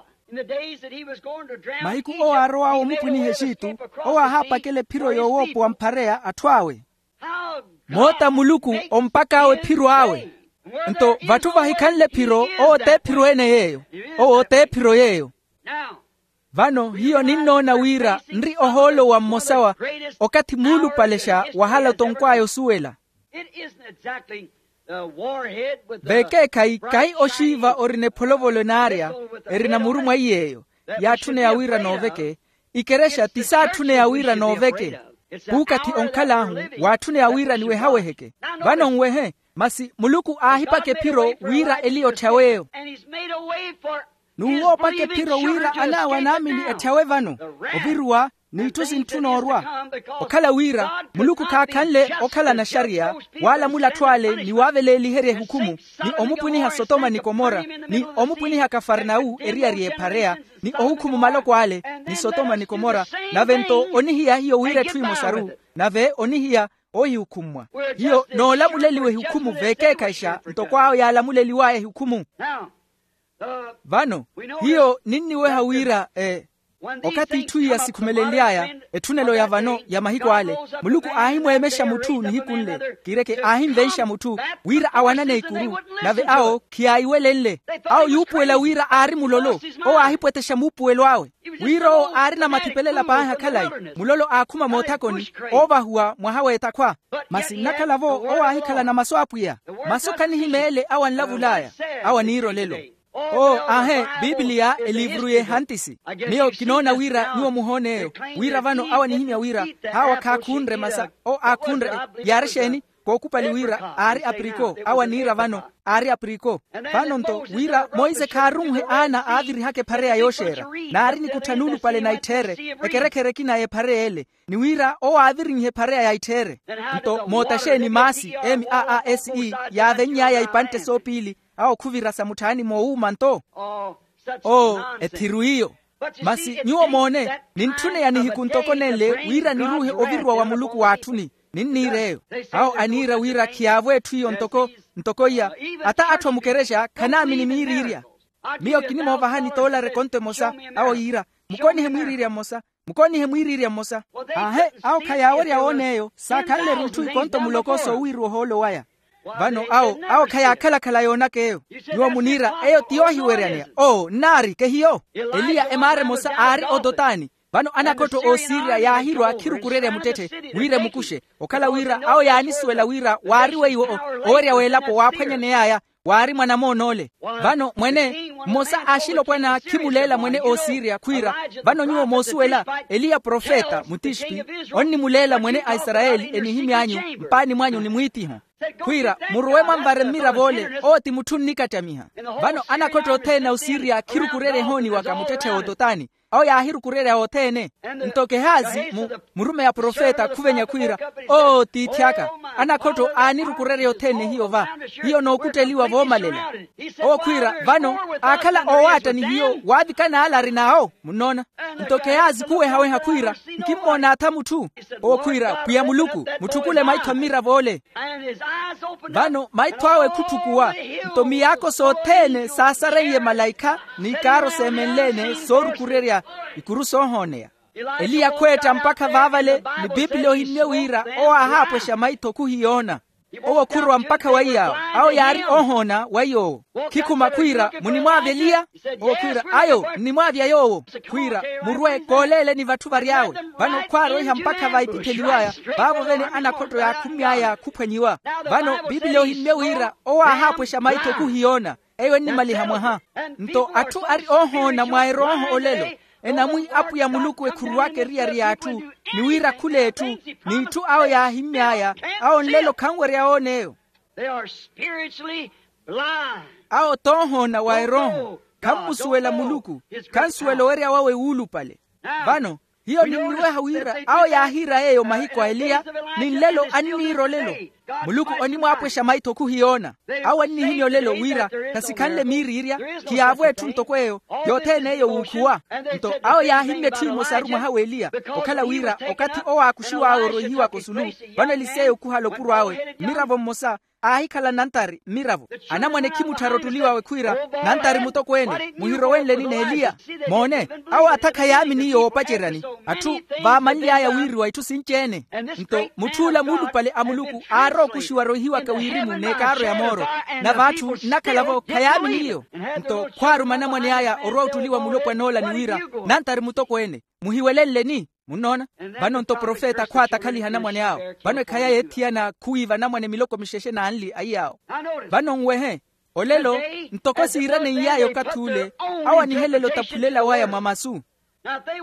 Mahiku owo aarow'awe omupwiniha exitu, owo aahaapakela ephiro yoowoopowa mphareya atthu awe. Moota muluku ompak'awe ephiro awe. Nto vatthu vahikhanle ephiro, owo t'ephiro ene yeeyo. Owo t'ephiro yeeyo. Vano hiyo ninnoona wira nri ohoolo wa mmosa wa okathi muulupalexa wahala otonkw'aya osuwela. Vekeekhayi kahi oxiiva orina epholovolo enaarya, erina muru mwaiy'eyo yaatthuneya wira nooveke. Ikerexa ti saatthuneya wira nooveke. Puukathi onkhal'ahu waatthuneya wira niwehaweheke. Vano nwehe, masi muluku aahipaka ephiro wira eliya otthyaweeyo. N'uwo opaka ephiro wira anaawe anaamini etthyawe vano, oviruwa n'itthu sintthuna orwa. Okhala wira muluku khaakhanle okhalana axariya, waalamula atthu ale ni waaveleeliherya ehukhumu, ni omupwiniha sotoma ni komora, ni omupwiniha kafarnawu eriyari y'ephareya, ni ohukhuma omaloko ale, ni sotoma ni komora. Nave nto onihiya hiyo wira etthu emosaru, nave onihiya oohihukhummwa. Hiyo noolamuleliwa ehukhumu vekeekhayixa ntoko awo yaalamuleliw'aya ehukhumu. Vano hiyo ninniweha wira, okathi itthu iya sikhumelenly'aya, etthunelo ya vano ya mahiku ale, muluku aahimweemexa mutthu nihiku nle, kireke aahimvenxa mutthu wira awanane ikuru. Nave awo khiyaayiwelenle. Awo yuupuwela wira aari mulolo. Owo aahipwetexa muupuwelo awe, wira owo aarina mathipelela paahi akhalayi. Mulolo aakhuma moothakoni, oovahuwa mwaha w'etakhwa. Masi nnakhala-vo owo aahikhalana masu a apwiya. Masu khanihimeele awo anlavul'aya. Awo aniira olelo. Oo aahe, pipiliya eliivuru y'ehantisi. Miyo kinoona wira nyuwo muhoon'eyo, wira vano awo anihimya wira, haawa khaakhunre masa. Oo aakhunre. Yaari exeeni? Kookupali wira aari apriko awo aniira vano, aari apriko. Vano-nto wira monse khaarunhe aana aavirihaka ephareya yooxeera, naari nikuttha nuulupale na itthiire, ekerekhere ekina y'ephareya ele, ni wira owo aavirinhe ephareya ya itthiire. Nto moota xeeni maasi, m a a s e, yaavenny'aya ipantte soopiili, awo khuvira sa mutthaani moowuuma-nto? Oo, ethiru iyo. Masi nyuwo moone, nintthuneya nihiku ntoko nenle wira niruuhe oviruwa wa muluku w'atthuni. Ninniir'eyo. Awo aniira wira khiyaavo etthu iyo ntoko, ntoko iya. Ata atthu a mukerexa khanaamini miiriirya. Miyo kinimoovahani toolari ekonto emosa. Awo yiira, mukonihe mwiiriirya mmosa. Mukonihe mwiiriirya mmosa. Aahe, awo khayaawerya woona eyo, saakhanle-ru itthu ikonto muloko soowiiriwa ohoolo waya. Vano awo, awo khayaakhala-khala yoonaka eyo. Nyuwo muniira eyo ti yoohiweryaneya. Oo nnaari kehiyo. Eliya emaara emosa aari ototani. Vano anakhotto oosiriya yaahirwa khirukurerya muttetthe, wira emukuxe. Okhala wira awo yaanisuwela wira waari weiwo owerya w'elapo waaphwanyaney'aya, waari mwanamoonoole. Vano mwene, mmosa a axilopwana khimuleela mwene oosiriya khwiira, vano nyuwo moosuwela, eliya profeta mutixpi, onnimuleela mwene a isarayeli enihimy'anyu, mpaani mwanyu ni mwiitiho. Khwiira, murowe mwanvare mmirav'ole, owo ti mutthu onnikattamiha. Vano anakhotto othene a osiriya khirukurerya ehooni waka muttetthe w'ototani. Awo yaahirukurerya othene. Nto kehazi, murumeyi a profeta khuvenya khwiira, oo tiithi aka, anakhotto aanirukurerya othene hiyo va. Hiyo nookutteliwa voomalela. Owo khwiira vano, aakhala oowaatta ni hiyo waavikana ale arin'awo munnoona. Nto kehazi khuwehaweha khwiira, nkimmoona atha mutthu. Owo khwiira pwiya muluku, mutthukule maitho a mmirav'ole. Vano maitho awe khutthukuwa, nto miyaako sothene saasareiye malaikha, n'ikaaro seemenle-ene soorukurerya ikuru soohooneya. Eliya khweetta mpakha vaavale, ni pipili ohimmye wira owo aahaapwexa maitho khuhiyoona. Owo khurowa mpakha wa iy'awo, awo yaari oohoona wa iy'owo. Khikhuma khwiira, munimwaavya eliya? Owo khwiira ayo, nnimwaavya yoowo. Khwiira, murwe kooleeleni vatthu vary'awe. Vano khwaaroiha mpakha va ipitheliw'aya, vaavo vene anakhotto yaakhumy'aya khuphwanyiwa. Vano pipili ohimmye wira owo aahaapwexa maitho khuhiyoona. Eyo ennimaliha mwaha. Nto atthu ari oohoona mwa erooho olelo, enamwi apwiya muluku ekhuruwaka eriyari y'atthu, ni wira khul'etthu, n'itthu awo yaahimmy'aya, awo nlelo khanwerya oona eyo. Awo t'ohoona wa erooho, khammusuwela muluku, khansuwela owerya wawe wuulupale. Vano hiyo ninniweha wira awo yaahiira yeeyo mahiku a eliya, ni nlelo anniira olelo. Muluku onimwaapwexa maitho khuhiyoona. Awo annihimya olelo wira, khasikhanle miiriirya, khiyaavo etthu ntoko eyo, yothene eyo wuukhuwa. Nto awo yaahimmya etthu emosaru mwaha w'eliya, okhala wira okathi owo aakuxiw'awe oroihiwaka osulu, vano eliseyo khuhala opuro awe mmiravo mmosa, aahikhala nantari mmiravo. Anamwane khimutthara ottuliw'awe khwiira, nantari mutokweene, muhirowenleni n'eliya? Moone, awo atha khayaamini iyo woopaceryani. Atthu vaamanly'aya wiiriwa itthu sinci-ene. Nto mutth'ula muulupale a muluku aarowa okuxiwa roihiwaka wirimu n'ekaaro ya mooro, nave atthu nnakhala-vo khayaamini iyo. Nto khwaaruma anamwane aya orowa ottuliwa mulopwan'ola ni wira, nantari mutokweene, muhiwelenleni? Munnoona? Vano-nto profeta khwaatakhaliha anamwane awo. Vano ekhaya yeethiyana khuwiiva anamwane miloko mixexe n'anli aiy'awo. Vano nwehe, olelo, ntoko siiraneiyaaya okathi ule, awo anihelela otaphulela waya mwa masu.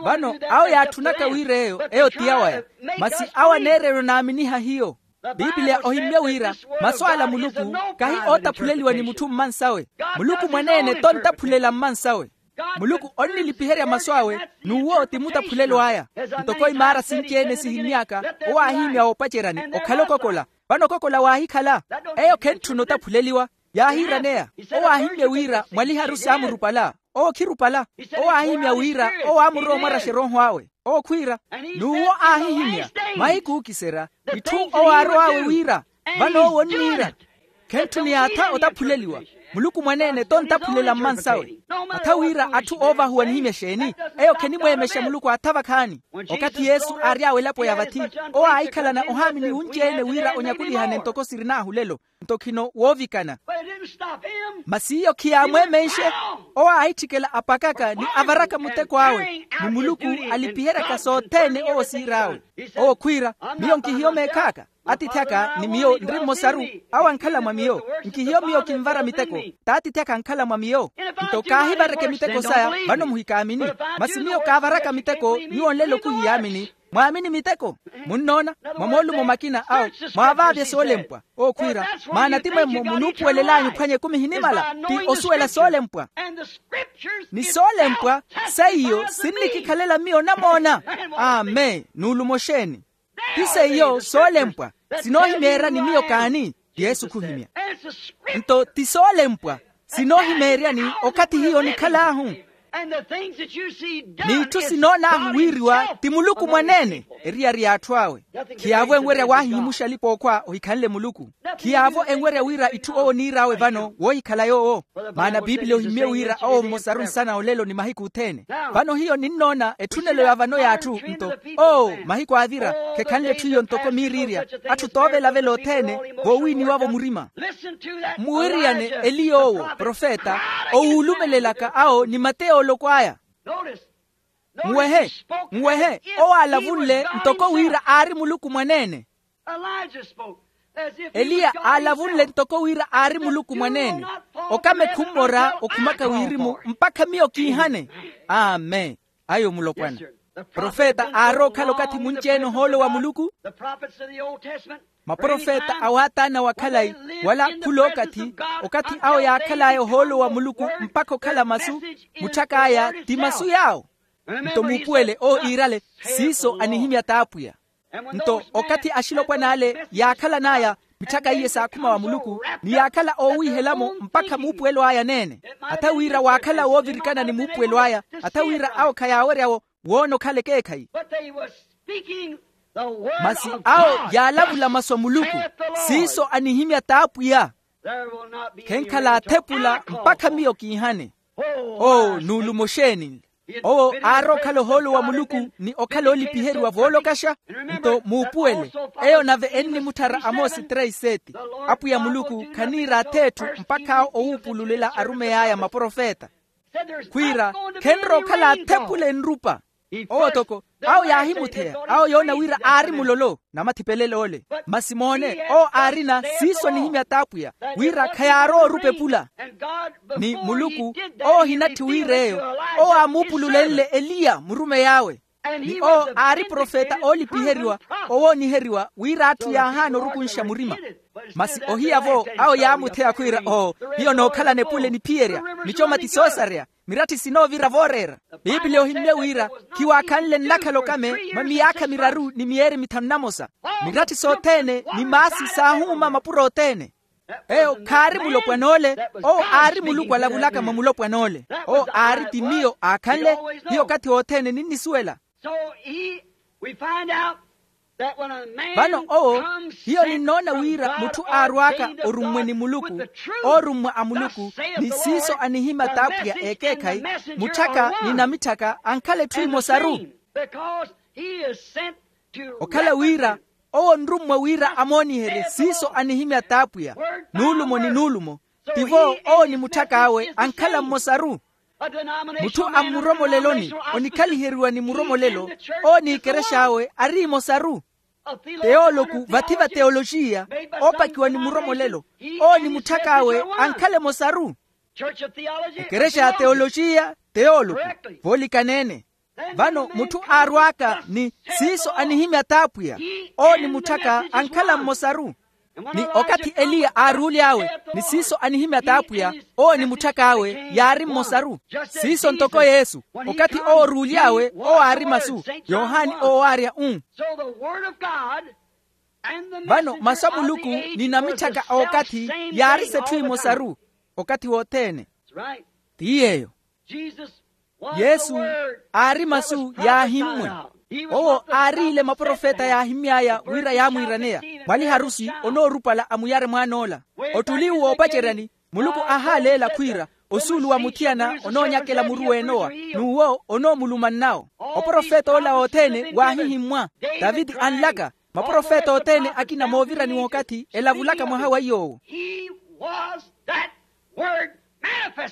Vano awo yaatthunaka wira eyo eyo ti yawaya, masi awo aneererya onaaminiha hiyo. Piipiliya ohimmye wira, masu ala a muluku kahi ootaphuleliwa ni mutthu mmansawe. Muluku mwaneene tontaphulela mmansawe. Muluku onnilipiherya masu awe, n'uwo ti mutaphulelo aya. Ntoko imaara sinci-ene sihimmy'aka, owo aahihimya woopaceryani okhala okokola. Vano okokola waahikhala. Eyo khentthuna otaphuleliwa. Yaahiiraneya. Owo aahimmye wira mwaliharu saamurupala. Owo khirupala. Owo aahihimya wira owo aamurowa omwaraxa erooho awe. Owo khwiira, n'uwo aahihimya, mahiku ookiserya, itthu owo aarow'awe wira, vano owo onniira. Khentthuna yaatha otaphuleliwa. Muluku mwaneene tontaphulela mmansawe. Atha wira atthu oovahuwa anihimya exeeni? Eyo khenimweemexa muluku aatha vakhaani. Okathi yesu aary'awe elapo ya vathi, owo aahikhalana ohaamini wunci-ene wira onyakulihane ntoko sirin'ahu lelo. Nto khino woovikana. Masi iyo khiyaamweemenxe. Owo aahitthikela apakaka ni avaraka muteko awe, ni muluku alipiheryaka sothene owo siir'awe. Owo khwiira, miyo nkihiyo meekh'aka. Atiithi aka ni miyo nri mmosaru. Awo ankhala mwa miyo. Nkihiyo miyo kinvara miteko. T'atiithi aka ankhala mwa miyo. Nto kaahivareke miteko saya vano muhikaamini. Masi miyo kaavaraka miteko nyuwo nlelo khuhiyaamini. Mwaamini miteko. Munnoona, mwa moolumo makina awo, mwaavaavya soolempwa. Okhwiira, maana ti mwemmo munuupuwelel'anyu phwanya ekumi ehinimala ti osuwela soolempwa. Ni soolempwa seiyo sinnikikhalela miyo namoona. Amen. Nuulumo xeeni? Ti seiyo soolempwa sinoohimeeryani miyo kaani? Yesu khuhimya. Nto ti soolempwa sinoohimeeryani okathi hiyo nikhal'ahu. N'itthu sinoon'ahu wiiriwa ti muluku mwaneene, eriyari y'atthu awe. Khiyaavo enwerya waahihimuxa alipa-ookhwa ohikhanle muluku. Khiyaavo enwerya wira itthu owo oniir'awe vano woohikhala yoowo. Maana biipiliya ohimmye wira owo mmosaru nsana olelo ni mahiku othene. Vano hiyo ninnoona etthunelo ya vano y'atthu nto, oo mahiku aavira khekhanle etthu iyo ntoko miiriirya. Atthu toovelavela othene voowiiniwavo murima. Mmuwiriyane eliya owo profeta owuulumelelaka awo ni mateyooloko aya. Nwehe, nwehe, owo aalavunle ntoko wira aari muluku mwaneene. Eliya aalavunle ntoko wira aari muluku mwaneene. Okame khummora okhumaka wirimu mpakha miyo kiihane. Amen. Ayo mulopwana. Profeta aarowa okhala okathi munci-ene ohoolo wa muluku. Maprofeta a waataana wa khalayi, wala khul'okathi, okathi awo yaakhal'aya ohoolo wa muluku mpakha okhala masu, mutthak'aya ti masu yaawo. Nto muupuwele owo iirale, siiso anihimya t'apwiya. Nto okathi axilopwan'ale yaakhalan'aya mitthaka iye saakhuma wa muluku, ni yaakhala oowiihela-mo mpakha muupuwelo aya aneene. Atha wira waakhala woovirikana ni muupuwelo aya, atha wira awo khayaawerya-wo woona okhala ekeekhayi. Masi awo yaalavula masu a muluku, siiso anihimya t'apwiya. Khenkhala athepula mpakha miyo kiihane. Oo nuulumo xeeni? Owo aarowa okhala ohoolo wa muluku ni okhala oolipiheriwa voolokaxa. Nto muupuwele, eyo nave ennimutthara amoosi três sete. Apwiya muluku khaniira ath'etthu mpakha awo owuupululela arumeyi aya maprofeta. Khwiira, khenrowa okhala athepule nrupa. Owo toko awo yaahimutheya, awo yoona wira aari mulolo namathipelel'ole. Masi moone, owo aarina siiso anihimya t'apwiya, wira khayaarowa orupa epula. Ni muluku, owo ohinatthi wir'eyo, owo aamuupululenle eliya murumeyi awe. Ni owo aari profeta oolipiheriwa, owooniheriwa wira atthu yaahaana orukunxa murima. Masi ohiya-vo awo yaamutheya khwiira, oo, hiyo nookhalana epule niphiyerya, micoma ti soosareya. Miratthi sinoovira vooreera. Piipiliya ohimmye wira, khiwaakhanle nnakhala okame mwa miyaakha miraru ni miyeeri mithanu namosa. Miratthi sothene ni maasi saahuuma mapuro othene. Eyo khaari mulopwan'ole. Owo aari muluku alavulaka mwa mulopwan'ole. Owo aari ti miyo aakhanle. Hiyo okathi wothene ninnisuwela. Vano owo, hiyo ninnoona wira mutthu aarw'aka orummwe ni muluku, oorummwa a muluku, ni siiso anihimya t'apwiya ekeekhayi, mutthaka ni namitthaka ankhala etthu emosaru. Okhala wira owo onrummwa wira amooniherye siiso anihimya t'apwiya, nuulumo ni nuulumo. Tivo owo ni mutthak'awe ankhala mmosaru. Mutthu a mmuromoleloni, onikhaliheriwa ni muromolelo, owo n'ekerex'awe ari emosaru. Teoloku vathi va teoloxiya, oopakiwa ni muromolelo, owo ni mutthak'awe ankhala emosaru. Ekerexa ya teoloxiya, teoloku, voolikaneene. Vano mutthu aarw'aka ni siiso anihimya t'apwiya, owo ni mutthaka ankhala mmosaru. Ni okathi eliya aaruuly'awe ni siiso anihimya t'apwiya, owo ni mutthak'awe yaari mmosaru. Siiso ntoko yesu, okathi owo oruuly'awe owo aari masu. Yohani owo aarya u. Vano masu a muluku ni namitthaka a okathi yaari s'etthu emosaru okathi wothene. Ti yeeyo. Yesu aari masu yaahimmwe. Owo aariile maprofeta yaahimmy'aya wira yaamwiiraneya, mwaliharusi onoorupala amuyare mwaan'ola. Ottuli uwo oopaceryani, muluku ahaaleela khwiira osuulu wa muthiyana onoonyakela muru w'enowa, n'uwo onoomulumannawo. Oprofet'ola othene waahihimmwa. Taviti anlaka, maprofeta othene akina moovirani w'okathi elavulaka mwaha wa iy'owo.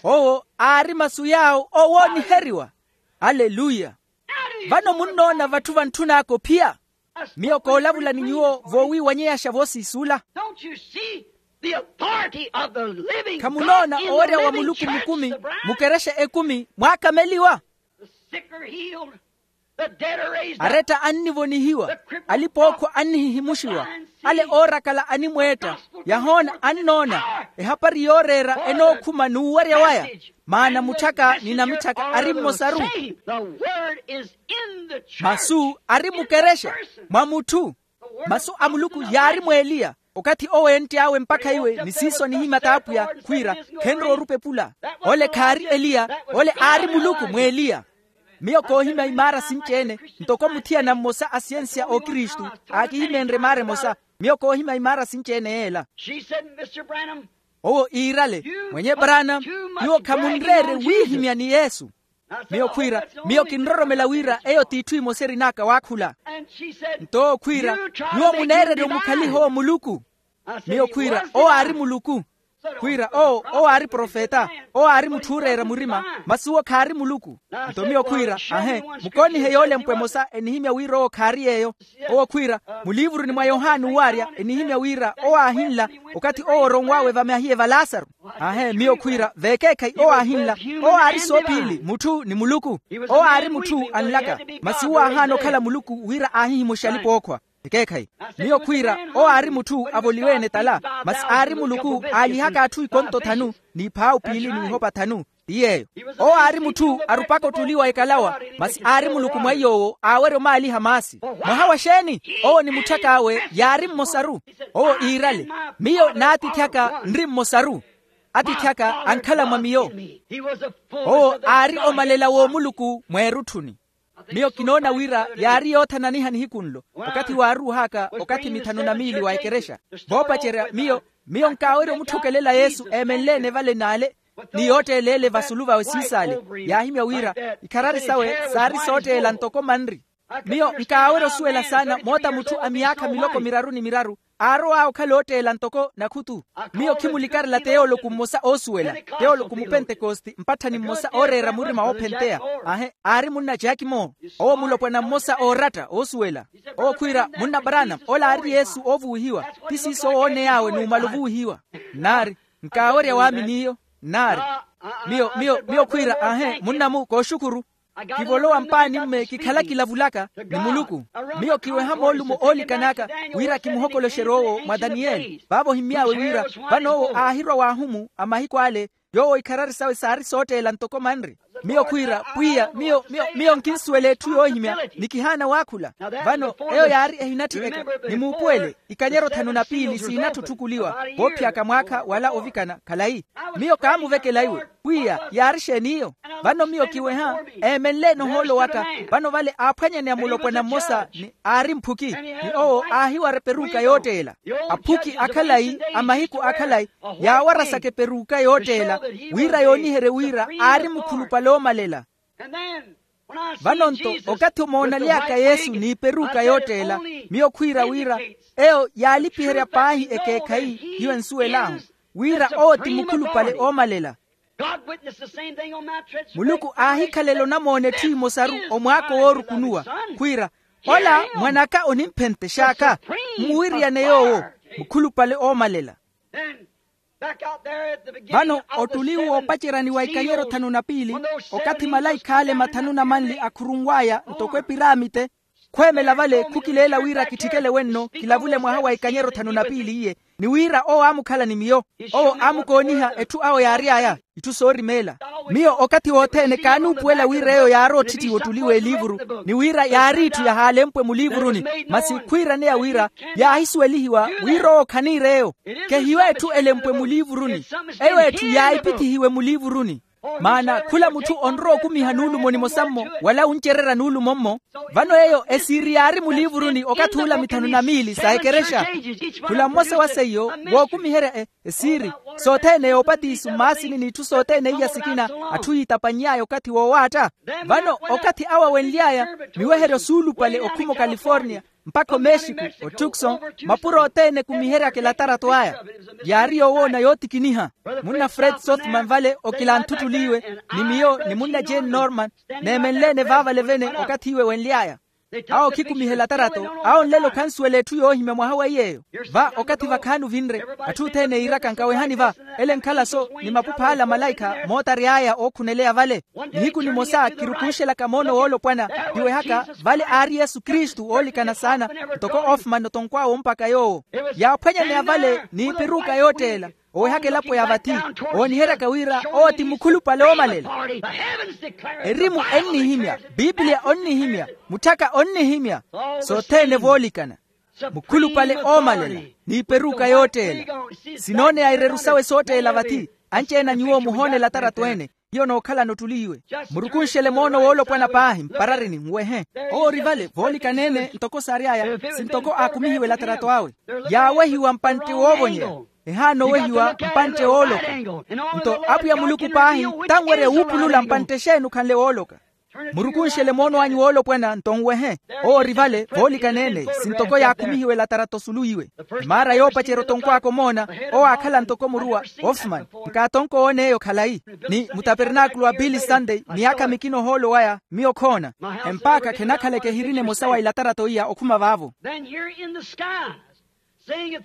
Owo aari masu yaawo owooniheriwa. Aleluya. Vano munnoona vatthu vantthun'aka ophiya? Miyo koolavula ni nyuwo voowiiwanyeyaxa voosiisula. Khamunoona owerya wa muluku mukumi mukerexa ekumi mwaakameliwa? Aretta annivonihiwa, alipa-ookhwa annihihimuxiwa, ale oorakala animweetta, yahoona annoona, ehapari yooreera enookhuma n'uwarya waya. Maana mutthaka ni namitthaka ari mmosaru. Masu ari mukerexa mwa mutthu. Masu a muluku yaari mw'eliya. Okathi owo entty'awe mpakha iwe ni siiso anihimya t'apwiya, khwiira, khenrowa orupa epula. Ole khaari eliya. Ole aari muluku mw'eliya. Miyo koohimya imaara sinci-ene, ntoko muthiyana mmosa a siyensiya a okristu, aakihimenrye maara emosa. Miyo koohimya imaara sinci-ene yeela. Owo iirale, mwenye branam, nyuwo khamunreerye wiihimya ni yesu. Miyo khwiira, miyo kinroromela wira eyo t'itthu imosa erin'aka waakhula. Nto owo khwiira, nyuwo muneererya omukhaliha owo muluku. Miyo khwiira, owo aari muluku. Khwiira owo, owo aari profeta. Owo aari mutthu ooreera murima, masi owo khaari muluku. Nto miyo khwiira, ahe, mukoonihe yoolempwa emosa enihimya wira owo khaari yeeyo. Owo khwiira, muliivuruni mwa yohani uwaarya enihimya wira owo aahinla, okathi owo oronw'awe vamahiye va lasaru. Ahe miyo khwiira, vekeekhayi owo aahinla, owo aari soophiyili mutthu ni muluku. Owo aari mutthu anlaka, masi owo aahaana okhala muluku wira aahihimuxe alipa-ookhwa. Ekeekhayi, miyo khwiira, owo aari mutthu avoliwe-ene tala, masi aari muluku aalihaka atthu ikonto thanu, n'iphaawu piili n'ihopa thanu. Ti yeeyo. Owo aari mutthu arupaka ottuli wa ekalawa, masi aari muluku mwa iy'owo aawerya omaaliha maasi. Mwaha wa xeeni? Owo ni mutthak'awe yaari mmosaru. Owo iirale, miyo n'atiithi aka nri mmosaru. Atiithi aka ankhala mwa miyo. Owo aari omalela w'omuluku mweerutthuni. Miyo kinoona wira yaari yoothananiha nihiku nlo, okathi waaruuhaka okathi mithanu na miili wa ekerexa. Voopacerya miyo, miyo nkaawerya omutthokelela yesu eemenle-ene vale n'ale, ni yootteela ele vasulu vawe siisaale. Yaahimya wira ikharari sawe saari sootteela ntoko manri. Miyo nkaawerya osuwela saana moota mutthu a myaakha miloko miraru ni miraru, aarow'awe okhala ootteela ntoko nakhutu. Miyo khimulikarela teoloku mmosa oosuwela, teoloku mupentekosti mpatthani mmosa ooreera murima woophenteya. Ahe, aari munna jaaki moo, owo mulopwana mmosa ooratta oosuwela. Owo khwiira, munna branam, ola aari yesu oovuwihiwa. Ti siiso owooney'awe numala ovuwihiwa. Nnaari, nkaawerya waamini iyo. Nnaari, miyo miyo miyo khwiira ahe munna-mu kooxukhuru. Kivolowa mpaani-mme kikhala kilavulaka ni muluku. Miyo kiweha moolumo oolikan'aka wira kimuhokoloxerye owo mwa daniyeli vaavo ohimmy'awe wira, vano owo aahirwa w'ahumu a mahiku ale. Yoowo ikharari sawe saari sootteela ntoko manri. Miyo khwiira, pwiya miyo miyo miyo nkinsuwela etthu yoohimya, ni kihaana waakhula. Vano eyo yaari ehinatthi eka, nimuupuwele ikanyero thanu na piili siinatthu otthukuliwa. Voophiyaka mwaakha wala ovikana khalayi. Miyo kaamuvekela iwe, pwiya yaari xeen'iyo? Vano miyo kiweha, eemenle-ene ohoolo waka. Vano vale aaphwanyaneya mulopwana mmosa ni aari mphuki, ni owo aahiwara eperuka yootteela. Aphuki akhalayi a mahiku akhalayi yaawarasaka eperuka yootteela, wira yooniherye wira aari mukhulupale oomalela. Vano-nto, okathi omoonaly'aka yesu n'iperuka yootteela, miyo khwiira wira eyo yaalipiherya paahi ekeekhayi hiyo ensuwel'ahu, wira owo ti mukhulupale oomalela. Muluku aahikhalela onamoona etthu emosaru omwaako woorukunuwa, khwiira, ola mwan'aka onimphentex'aka, mmuwiriyane yoowo, mukhulupale oomalela. Vano ottuli woopaceryani wa ikanyero thanu na piili, okathi malaikha ale mathanu na manli akhurunw'aya ntoko epiramite, khweemela vale khukileela wira kitthikele wenno kilavule mwaha wa ikanyero thanu na piili iye, ni wira owo aamukhala ni miyo. Owo aamukooniha etthu awo yaary'aya, itthu soorimeela. Miyo okathi wothene kaanuupuwela wira eyo yaari otthitthiwa ottuli w'eliivuru, ni wira yaari itthu yahaalempwe muliivuruni, masi khwiiraneya wira yaahisuwelihiwa wira owo khaniir'eyo. Khehiyo etthu elempwe muliivuruni, eyo etthu yaahipithihiwe muliivuruni. Maana khula mutthu onrowa okumiha nuulumo nimosa-mmo wala wuncererya nuulumo-mmo. Vano eyo esiiri yaari muliivuruni okathi ula mithanu na miili sa ekerexa. Khula mmosa wa seiyo wookumiherya e esiiri sothene yoopatiso mmaasini n'itthu sothene iya sikina, atthu yiitapanny'aya okathi woowaatta. Vano okathi awo awenly'aya miweheryo suulupale okhuma okaliforniya, mpakha omexiku, otukson, mapuro othene ekumiheryaka elatarato aya. Yaari yoowoona yootikiniha. Munna fred sothman vale okilanthuttuli iwe, ni miyo ni munna jane norman, neemenle-ene vaavale vene okathi iwe wenly'aya. Awo khikumihela tarato. Awo nlelo khansuwela etthu yoohimya mwaha wa iy'eyo. Va okathi vakhaani ovinre, atthu othene yiiraka nkawehani va, ele nkhala-so ni mapupha ala malaikha mootary'aya ookhuneleya vale. Nihiku nimosa kirukunxelaka moono woolopwana, kiwehaka vale aari yesu kristu oolikana saana, ntoko ofumani otonkw'awe ompaka yoowo. Yaaphwanyaneya vale n'ipiruka yootteela, owehaka elapo ya vathi, ooniheryaka wira owo ti mukhulupale oomalela. Erimu ennihimya, pipiliya onnihimya, mutthaka onnihimya, sothene voolikana. Mukhulupale oomalela, n'iperuka yootteela. Sinooneya ireru sawe sootteela vathi. Anci-ene a nyuwo muhoonela atarato-ene, hiyo nookhalana ottuli iwe. Murukunxele moono woolopwana paahi mpararini nwehe. Owo ori vale voolikana-ene ntoko saary'aya, sintoko aakumihiwela atarato awe. Yaawehiwa mpantte woovonyera, ehaana owehiwa mpantte wooloka. Nto apwiya muluku paahi tanwerya wuupulula mpantte exeeni okhanle wooloka. Murukunxele moono anyu woolopwana nto nwehe. Owo ori vale voolikana-ene, sintoko yaakhumihiwela atarato osulu iwe. Emaara yoopacerya otonkw'aka omoona, owo aakhala ntoko muruwa, ofumani, nkaatonko woona eyo khalayi. Ni mutapernaakulu wa pili santei miyaakha mikina ohoolo waya miyo khoona, empaakha khenakhaleke ehirina emosa wa ilatarato iya okhuma vaavo.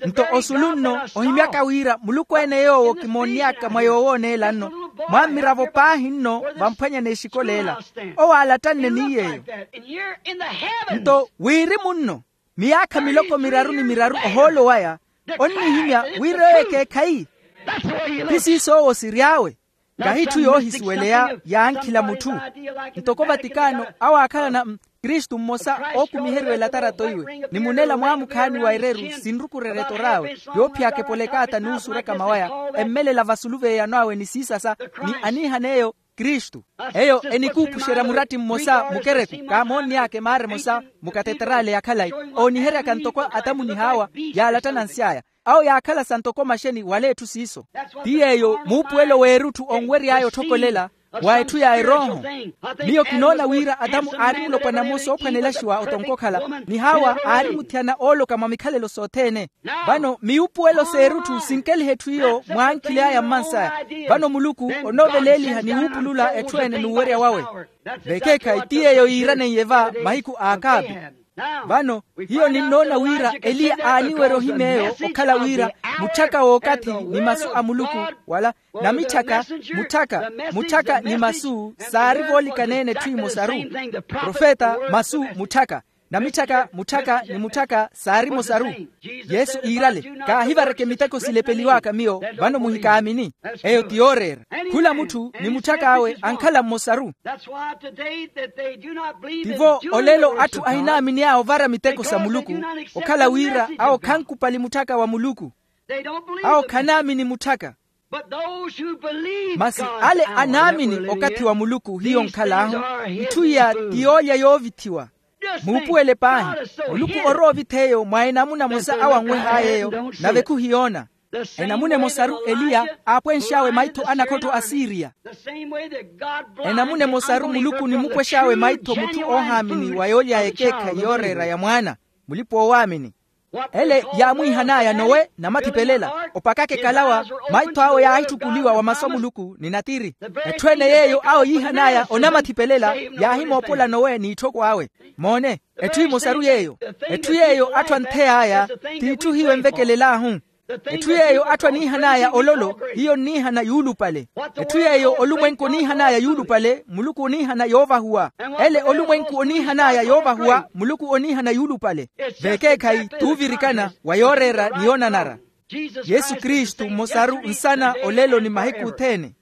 Nto osulu nno, ohimyaka wira muluku-ene yoowo kimoonny'aka mwa yoowooneela nno, mwa mmiravo paahi nno vamphwanya n'exikoleela, owo aalattanne ni yeeyo. Nto wirimu nno, miyaakha miloko miraru ni miraru ohoolo waya, onnihimya wira eyo ekeekhayi. Ti siiso owo siry'awe. Kahi itthu yoohisuweleya yaankhila mutthu. Ntoko vatikaano awo aakhalana, kristu mmosa ookumiheriwa elatarato iwe ni munela mwaamukhaani wa ereru sinrukurerya etor'awe, yoophiyaka epolekaata n'usuraka mawaya, emmelela vasulu v'eyano awe ni siisasa, ni aniihan'eyo kristu. Eyo enikuupuxerya muratti mmosa mukereku kaamoonny'aka emaara emosa, mukateterale ya khalayi, ooniheryaka ntoko atamunih'awa, yaalattana nsy'aya. Awo yaakhala sa ntoko maxeni wala etthu siiso. Ti yeeyo muupuwelo w'erutthu onwery'aya otthokwelela wa etthu ya erooho. Miyo kinoona wira atamu aari mulopwana mmosa oophwanelaxiwa otonko okhala, ni hawa aari muthiyana ooloka mwa mikhalelo sothene. Vano miupuwelo s'erutthu sinkeliha etthu iyo mwaankhily'aya mmansaya. Vano muluku onooveleeliha ni wuupulula etthu ene n'uwerya wawe. Vekeekhayi ti yeeyo yiiraneiye va mahiku a akaapi. Vano hiyo ninnoona wira eliya aaniwerya ohimya eyo okhala wira mutthaka w'okathi ni masu a muluku, wala namitthaka, mutthaka, mutthaka ni masu saari voolikana-ene etthu emosaru. Profeta, masu, mutthaka, namitthaka mutthaka ni mutthaka saari emosaru. Yesu iirale, kaahivareke miteko silepeliw'aka miyo, vano muhikaamini. Eyo ti yooreera. Khula mutthu ni mutthak'awe ankhala mmosaru. Tivo olelo atthu ahinaaminiy'awe ovara miteko sa muluku, okhala wira awo khankupali mutthaka wa muluku. Awo khanaamini mutthaka. Masi ale anaamini okathi wa muluku hiyo nkhal'ahu. Itthu iya ti yoolya yoovithiwa. Muupuwele paahi, muluku orowa ovith'eyo mwa enamuna emosa awo anweh'ay'eyo, nave khuhiyoona. Enamuna emosaru eliya aapwenx'awe maitho anakhottho a siriya. Enamuna emosaru muluku onimupwex'awe maitho mutthu oohaamini wa yoolya ekeekhayi yooreera ya mwaana, mulipa-oowaamini. Ele yaamwiihan'aya nowe namathipelela, opakaka ekalawa, maitho awe yaahittukuliwa wa masu a muluku ni natiri. Etthu ene yeeyo awo yiihan'aya onamathipelela, yaahimoopola nowe n'itthoko awe. Moone, etthu emosaru yeeyo. Etthu yeeyo atthu anthey'aya t'itthu hiyo envekelel'ahu. Etthu yeeyo atthu aniihan'aya ololo hiyo onniihana yuulupale. Etthu yeeyo olumwenku oniihan'aya yuulupale muluku oniihana yoovahuwa. Ele olumwenku oniihan'aya yoovahuwa muluku oniihana yuulupale. Vekeekhayi t'uvirikana wa yooreera ni yoonanara. Yesu kristu mmosaru nsana olelo ni mahiku othene.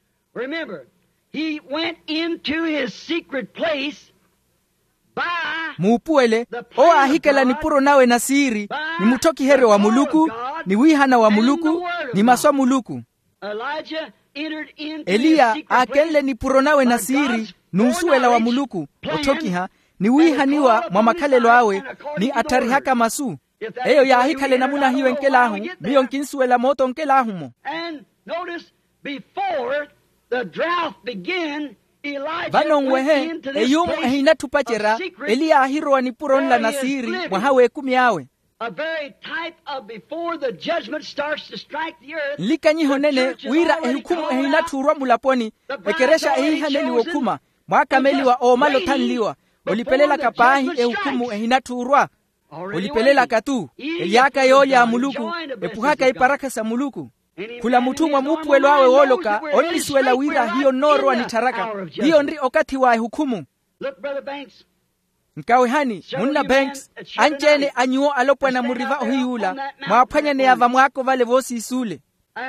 He went into his secret place. Muupuwele, owo aahikela nipuro nawe na siiri, ni mutthokiheryo wa muluku, ni wiihana wa muluku, ni masu a muluku. Eliya aakenle nipuro nawe na siiri n'usuwela wa muluku, otthokiha ni wiihaniwa mwa makhalelo awe, ni attharihaka masu. Eyo yaahikhala enamuna hiyo enkel'ahu, miyo nkinsuwela mooto onkel'ahu-mo. Vano nwehe, eyuumu ehinatthi opacerya, eliya aahirowa nipuro nla na siiri mwaha w'ekumi awe. Nlikanyiho nene wira ehukhumu ehinatthi orwa mulaponi, ekerexa ehiihaneliwa okhuma, mwaakameliwa oomala othanliwa, olipelelaka paahi ehukhumu ehinatthuurwa. Olipelelaka-tu. Ely'aka yoolya a muluku, epuhaka iparakha sa muluku. Khula mutthu mwa muupuwelo awe wooloka onnisuwela wira hiyo nnoorowa nittharaka. Hiyo nri okathi wa ehukhumu. Nkawehani munna banks, anci-ene a nyuwo alopwana muri va ohiyuula mwaaphwanyaneya vamwaako vale voosiisuule.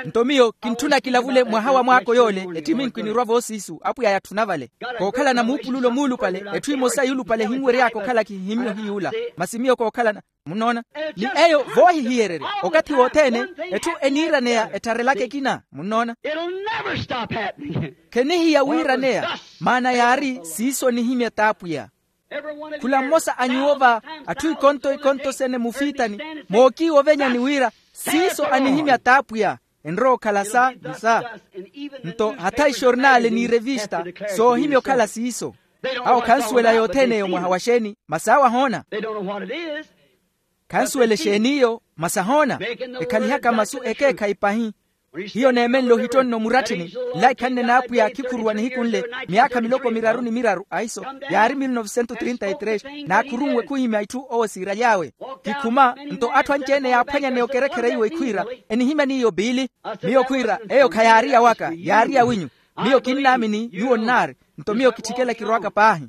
Nto miyo kintthuna kilavule mwaha wa mwaako yoole ettiminku enirwa voosiisu apwiya yatthuna vale. Kookhalana muupululo muulupale etthu emosa yuulupale ehinwery'aka okhala kihihimmye ohiyuula. Masi miyo kookhalana, munnoona? Ni eyo voohihiyererya okathi wothene etthu eniiraneya ettarelaka ekina munnoona. Khenihiya wiiraneya. Maana yaari siiso anihimya t'apwiya. Khula mmosa a nyuwo va atthu ikonto ikonto sene mufiitani mookiiwa ovenyani wira siiso anihimya t'apwiya. Enrowa okhala sa ni sa. Nto hatha ixornaale ni revista soohimya okhala siiso. Awo khansuwela yothene eyo mwaha wa xeeni masi awo ahoona. Khansuwela exeeni iyo masi ahoona. Ekhalihaka masu ekeekhayi pahi. Hiyo neemenle ohittonno muratthini nlaikhanne n'apwiya khikhuruwa nihiku nle myaakha miloko miraru ni miraru ahiso yaari mil novesento trinta y tres. Naakhurunwe khuhimya itthu owo siiraly'awe. Kikhuma nto atthu anci-ene yaaphwanyaneya okerekherya iwo ekhwiira enihimya n'iyo piili. Miyo khwiira eyo khayaari ya waka yaari ya winyu. Miyo kinnaamini nyuwo nnaari. Nto miyo kitthikela kirowaka paahi.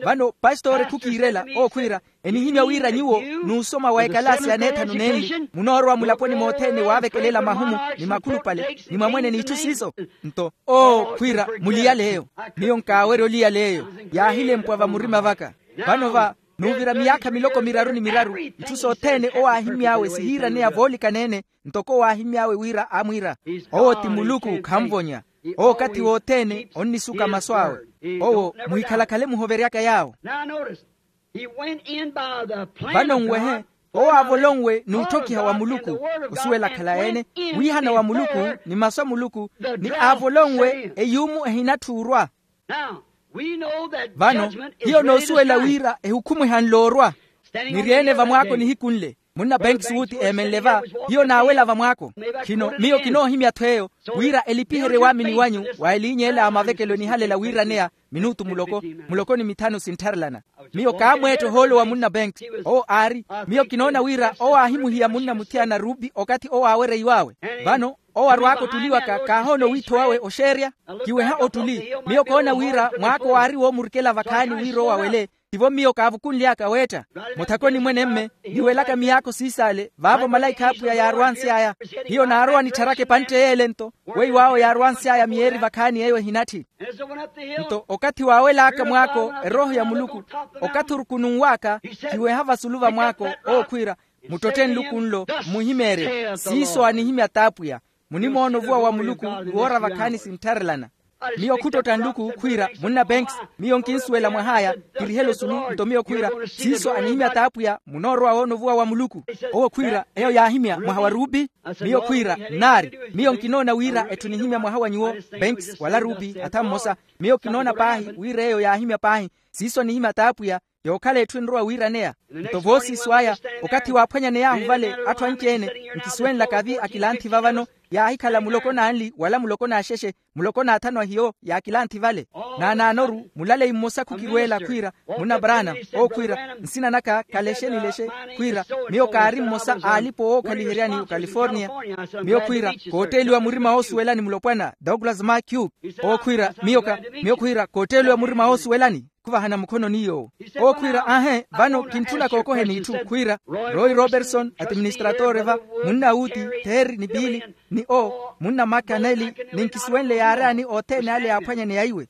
Vano pastori khukiirela owo khwiira enihimya wira nyuwo n'usoma wa ekalaasi ya neethanu nenli munoorowa mulaponi mothene waavekelela mahumu ni makhulupale ni mwamwene n'itthu siiso. Nto owo khwiira muliyale eyo. Miyo nkaawerya oliyala eyo yaahilempwa vamurima vaka. Vano va nuuvira miyaakha miloko miraru ni miraru itthu sothene owo aahimy'awe sihiiraneya voolikaneene. Ntoko owo aahimy'awe wira amwiira owo ti muluku khanvonya. Owo okathi wothene onnisuka masu awe. Owo muhikhalakhale muhoveryaka yaawo. Vano nwehe owo aavolonwe n'utthokiha wa muluku osuwela akhala ene wiihana wa muluku ni masu a muluku ni aavolonwe eyuumu ehinatthuurwa. Vano hiyo noosuwela wira ehukhumu ehanle orwa. Niri-ene vamwaako nihiku nle munna banks wuuti eemenle va hiyo naawela vamwaako. Khino miyo kinoohimya-tho eyo wira elipiherye waamini wanyu wa eliiny'ela a mavekelo enihalela wiiraneya minutu muloko muloko ni mithanu sinttharelana. Miyo kaamweetta ohoolo wa munna banks owo aari miyo kinoona wira owo aahimuhiya munna muthiyana rupi okathi owo aawereiw'awe. Vano owo arwaaka ottuliwaka kaahoona owiitho wawe oxeerya. Kiweha ottuli miyo koona wira mwaako waari woomurikela vakhaani wira owo awele. Tivo miyo kaavukunly'aka weetta muthakoni mwene-mme niwelaka miyaakho siisaale vaavo malaikha a apwiya yaarwansy'aya. Hiyo naarowa nittharaka epantte y'ele nto weiw'awo yaarwansy'aya miyeeri vakhaani eyo ehinatthi. Nto okathi waawel'aka mwaako erooho ya muluku okathi orukununw'aka kiweha vasulu va mwaako owo khwiira muttotte nluku nlo mmuhimeerye siiso anihimya t'apwiya. Munimoona ovuwa wa muluku ni woora vakhaani sinttharelana. Miyo khuttotta nluku khwiira munna banks miyo nkinsuwela mwah'aya kirihela osulu nto miyo khwiira siiso anihimya t'apwiya munoorowa woona ovuwa wa muluku. Owo khwiira eyo yaahimya mwaha wa rupi. Miyo khwiira nnaari miyo nkinoona wira etthu nihimya mwaha wa nyuwo banks wala rupi hatha mmosa. Miyo kinoona paahi wira eyo yaahimya paahi siiso anihimya t'apwiya. Yookhala etthu enrowa wiiraneya nto voosiiso aya okathi waaphwanyaney'ahu vale atthu anci-ene nkisuwenlaka vi akilanthi va vano yaahikhala muloko n'anli wala muloko n'axexe muloko n'athanu ahiyo yaakilanthi vale. Naanaanoru mulaleyi mmosa khukirweela khwiira munna brana owo khwiira nsina naka kalexe ni lexe khwiira miyo kaari mmosa a alipo wookhaliheryani ocalifornia. Miyo khwiira kootteeliwa murima woosuwelani mulopwana douglas makiu owo khwiira miyo ka miyo khwiira kootteeliwa murima woosuwelani khuvahana mukhononi yoowo. Owo khwiira aahe vano kintthuna kookoheni itthu khwiira roy robertson atiministratore va munna wuti theri ni piili ni o munna makaneli ni nkisuwenle yaaryani othene ale yaaphwanyaneya iwe.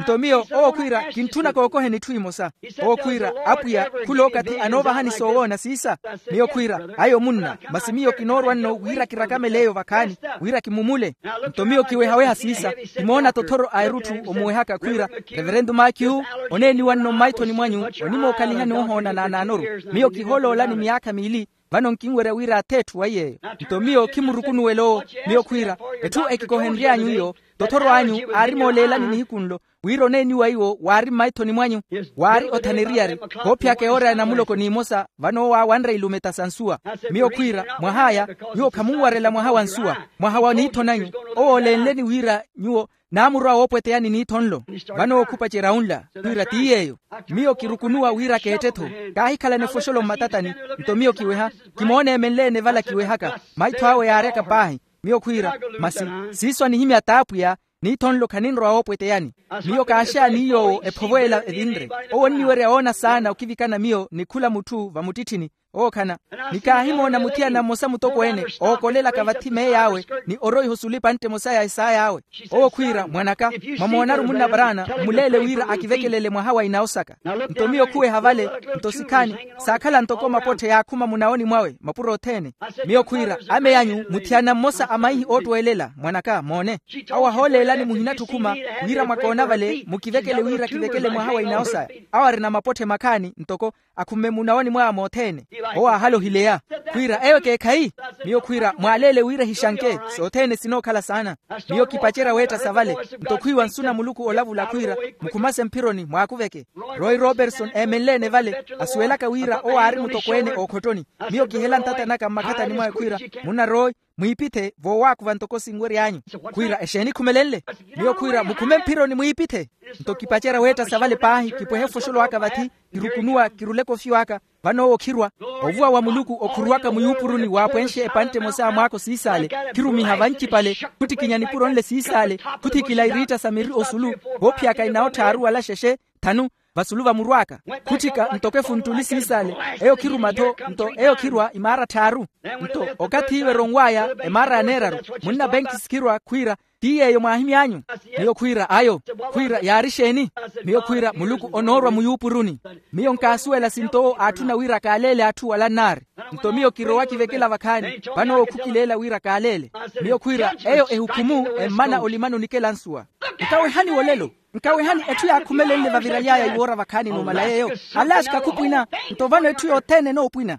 Nto miyo owo khwiira kintthuna kookoheni itthu imosa. Owo khwiira apwiya khula okathi anoovahani soowoona siisa. Miyo khwiira ayo munna masi miyo kinoorwa nno wira kirakamele eyo vakhaani wira kimumule. Nto miyo kiwehaweha siisa kimoona tothoro a erutthu omuwehaka khwiira reverentu makiu oneeniwa nno mmaithoni mwanyu onimookhalihani ohoona naanaanoru. Miyo kihooloolani miyaakha miili vano nkinwerya wira ath'etthu wa yeeyo. Nto miyo khimurukunuwela owo miyo khwiira etthu ekikohenry'anyu iyo Tothoro anyu aari mooleelani nihiku nlo, wira oneeniwa iwo waari mmaithoni mwanyu, waari othana eriyari, koophiyaka ewoora ya namuloko n'imosa. Vano owo aawanre ilumeta sa nsuwa. Miyo khwiira, mwah'aya, nyuwo khamunwarela mwaha wa nsuwa, mwaha wa niitho nanyu. Owo oleenleni wira nyuwo naamurwa woopweteyani niitho nlo. Vano owo khupacerya unla, khwiira ti yeeyo. Miyo kirukunuwa wira keette-tho, kaahikhalana efoxolo mmatatani. Nto miyo kiweha, kimoona emenle-ene vala kiwehaka, maitho awe yaaryaka paahi. Miyo khwiira, masi siiso anihimya t'apwiya, niitho nlo khaninrowa woopweteyani. Miyo kaaxeya ni yoowo ephovo ela evinre. Owo onniwerya woona saana okivikana miyo ni khula mutthu vamuttitthini. Ookhana, ni kaahimoona muthiyana mmosa mutokweene ookolelaka vathi meey'awe, ni oroiha osulu epantte emosa ya esaay'awe. Owo khwiira, mwan'aka, mwamoonaru munna paraana, mmuleele wira akivekelele mwaha wa inawo saka. Nto miyo khuweha vale, nto sikhaani, saakhala ntoko mapotthe yaakhuma munawoni mwawe mapuro othene. Miyo khwiira, ame anyu muthiyana mmosa a maihi oottweelela mwan'aka moone. Awo ahooleelani muhinatthi okhuma, wira mwakoona vale mukivekele wira kivekele mwaha wa inawo saya. Awo arina mapotthe makhaani ntoko akhumme munawoni mwaya mothene. Owo aahala ohileya, khwiira eyo ekeekhayi. Miyo khwiira mwaaleele wira ehixanke, sothene sinookhala saana. Miyo kipacerya weetta sa vale, nto khwiiwa nsu na muluku olavula khwiira, mukhumase mphironi mwaakuveke. Roy roberson eemenle-ene vale, asuwelaka wira owo aari mutokweene ookhotoni. Miyo kihela ntata naka mmakhatani mwawe khwiira, munna roy, mwiipithe voowaakuva ntoko sinwery'anyu. Khwiira exeeni khumelenle? Miyo khwiira mukhume mphironi mwiipithe. Nto kipacerya weetta sa vale paahi kipwehe ofoxolo aka vathi, kirukunuwa kiruleke ofyo aka. Vano owo khirwa, ovuwa wa muluku okhuruwaka muyuupuruni waapwenxe epantte emosa ya mwaako siisaale, khirumiha vancipale, khuttikinya nipuro nle siisaale, khuthikila iriitta sa miri osulu, voophiyaka inawo tthaaru wala xexe, thanu, vasulu vamurw'aka, khutthika ntoko efunttuli siisaale. Eyo khiruma-tho, nto eyo khirwa imaara tthaaru. Nto okathi iwe eronw'aya emaara ya neeraru, munna penkisi khirwa khwiira, ti yeeyo mwaahimy'anyu? Miyo khwiira ayo. Khwiira yaari exeeni? Miyo khwiira muluku onoorwa muyuupuruni. Miyo nkaasuwela sinto owo aatthuna wira kaaleele atthu wala nnaari. Nto miyo kirowa kivekela vakhaani, vano owo khukileela wira kaaleele. Miyo khwiira eyo ehukhumu emmana olimani onikela nsuwa. Nkawehani wolelo, nkawehani etthu yaakhumelenle vaviraly'aya iwoora vakhaani numala yeeyo. Alaxi kakhupwina. Nto vano etthu yothene enoopwina.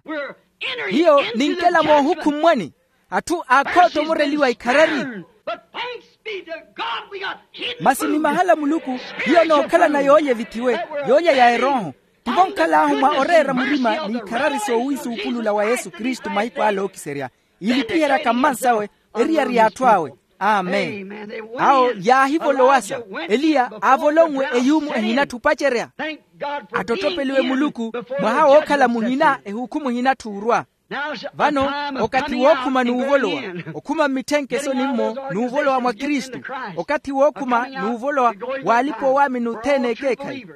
Hiyo ninkela moohukhummwani atthu aakhootomoreliwa ikharari. Masi ni mahala muluku hiyo nookhalana yoolya evithiwe, yoolya ya erooho. Tivo nkhal'ahu mwa oreera murima n'ikharari soowiisuupulula wa yesu kristu mahiku ale ookiserya, iilipiheryaka mmansawe eriyari y'atthu awe. Amen. Awo yaahivolowasa, eliya aavolonwe eyuumu ehinatthi opacerya. Attottopeliwe muluku, mwaha wookhala muhina ehukhumu ehinatthi orwa. Vano okathi wookhuma n'uvolowa, okhuma mmitthenkeso nimmo n'uvolowa mwa kristu. Okathi wookhuma n'uvolowa w'alipa-oowaamini othene ekeekhayi.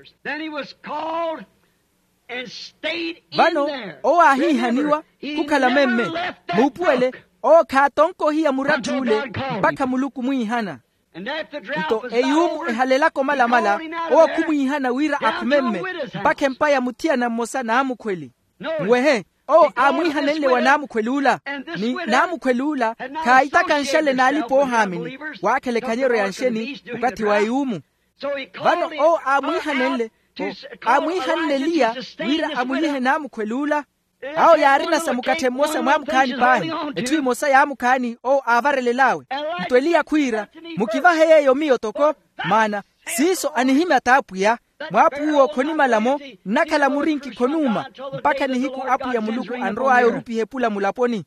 Vano owo aahiihaniwa khukhala memme. Muupuwele, owo khaatonka ohiya muratthi ule mpakha muluku omwiihana. Nto eyuumu ehalelaka omalamala, owo khumwiihana wira akhume mme mpakha empa ya muthiyana mmosa naamukhweli. Nwehe, owo aamwiihanenle wa naamukhweli ula, ni naamukhweli ula khaayitaka nxale n'alipa-oohaamini, waakhela ekhanyeryo ya nxeni okathi wa eyuumu. Vano owo aamwiihanenle, aamwiihanne eliya wira amulihe naamukhweli ula. Awo yaarina sa mukatthe mmosa mwaamukhaani paahi, etthu emosa yaamukhaani owo aavarelel'awe. Nto eliya khwiira, mukivahe yeeyo miyo toko, maana siiso anihimya t'apwiya. Mwaapuw'uwo khonimala-mo, nnakhala murinki khonuuma mpakha nihiku apwiya muluku anrow'aya orupiha epula mulaponi.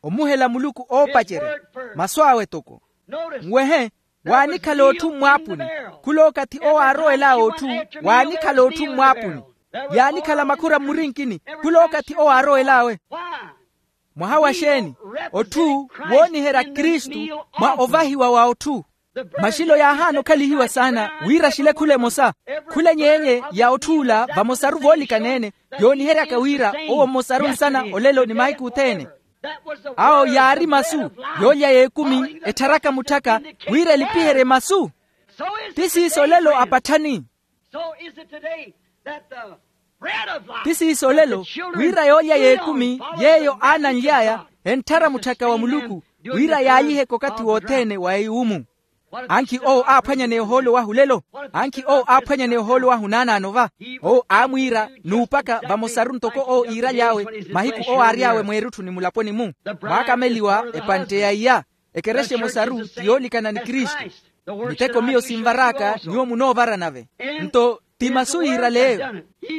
Omuhela muluku oopacerya masu awe toko. Nwehe, waanikhala otthu mmwaapuni. Khul'okathi owo aarowel'awe otthu, waanikhala otthu mmwaapuni. Yaanikhala makhura mmurinkini. Khul'okathi owo aarowel'awe. Mwaha wa xeeni? Otthu wooniherya kristu mwa ovahiwa wa otthu. Maxilo yaahaana okhalihiwa saana wira axile khula emosa. Khula enyeenye ya otthu ula vamosaru voolikaneene, yooniheryaka wira owo mmosaru nsana olelo ni mahiku othene. Awo yaari masu yoolya y'ekumi ettharaka mutthaka wira elipiherye masu. Ti siiso olelo apatthani. Ti siiso olelo wira yoolya y'ekumi yeeyo aananly'aya entthara mutthaka wa muluku, wira yaalyiheke okathi wothene wa eyuumu. Ankhi owo aaphwanyaneya ohoolo wahu olelo? Ankhi owo aaphwanyaneya ohoolo wahu naanaano va? Owo aamwiira n'upaka vamosaru ntoko owo iiraly'awe mahiku owo aary'awe mweerutthu ni mulaponi-mu. Mwaakameliwa epantte ya iya. Ekerexa emosaru ti yoolikana ni kristu. Miteko miyo sinvar'aka nyuwo munoovara nave. Nto ti masu yiiraleyo.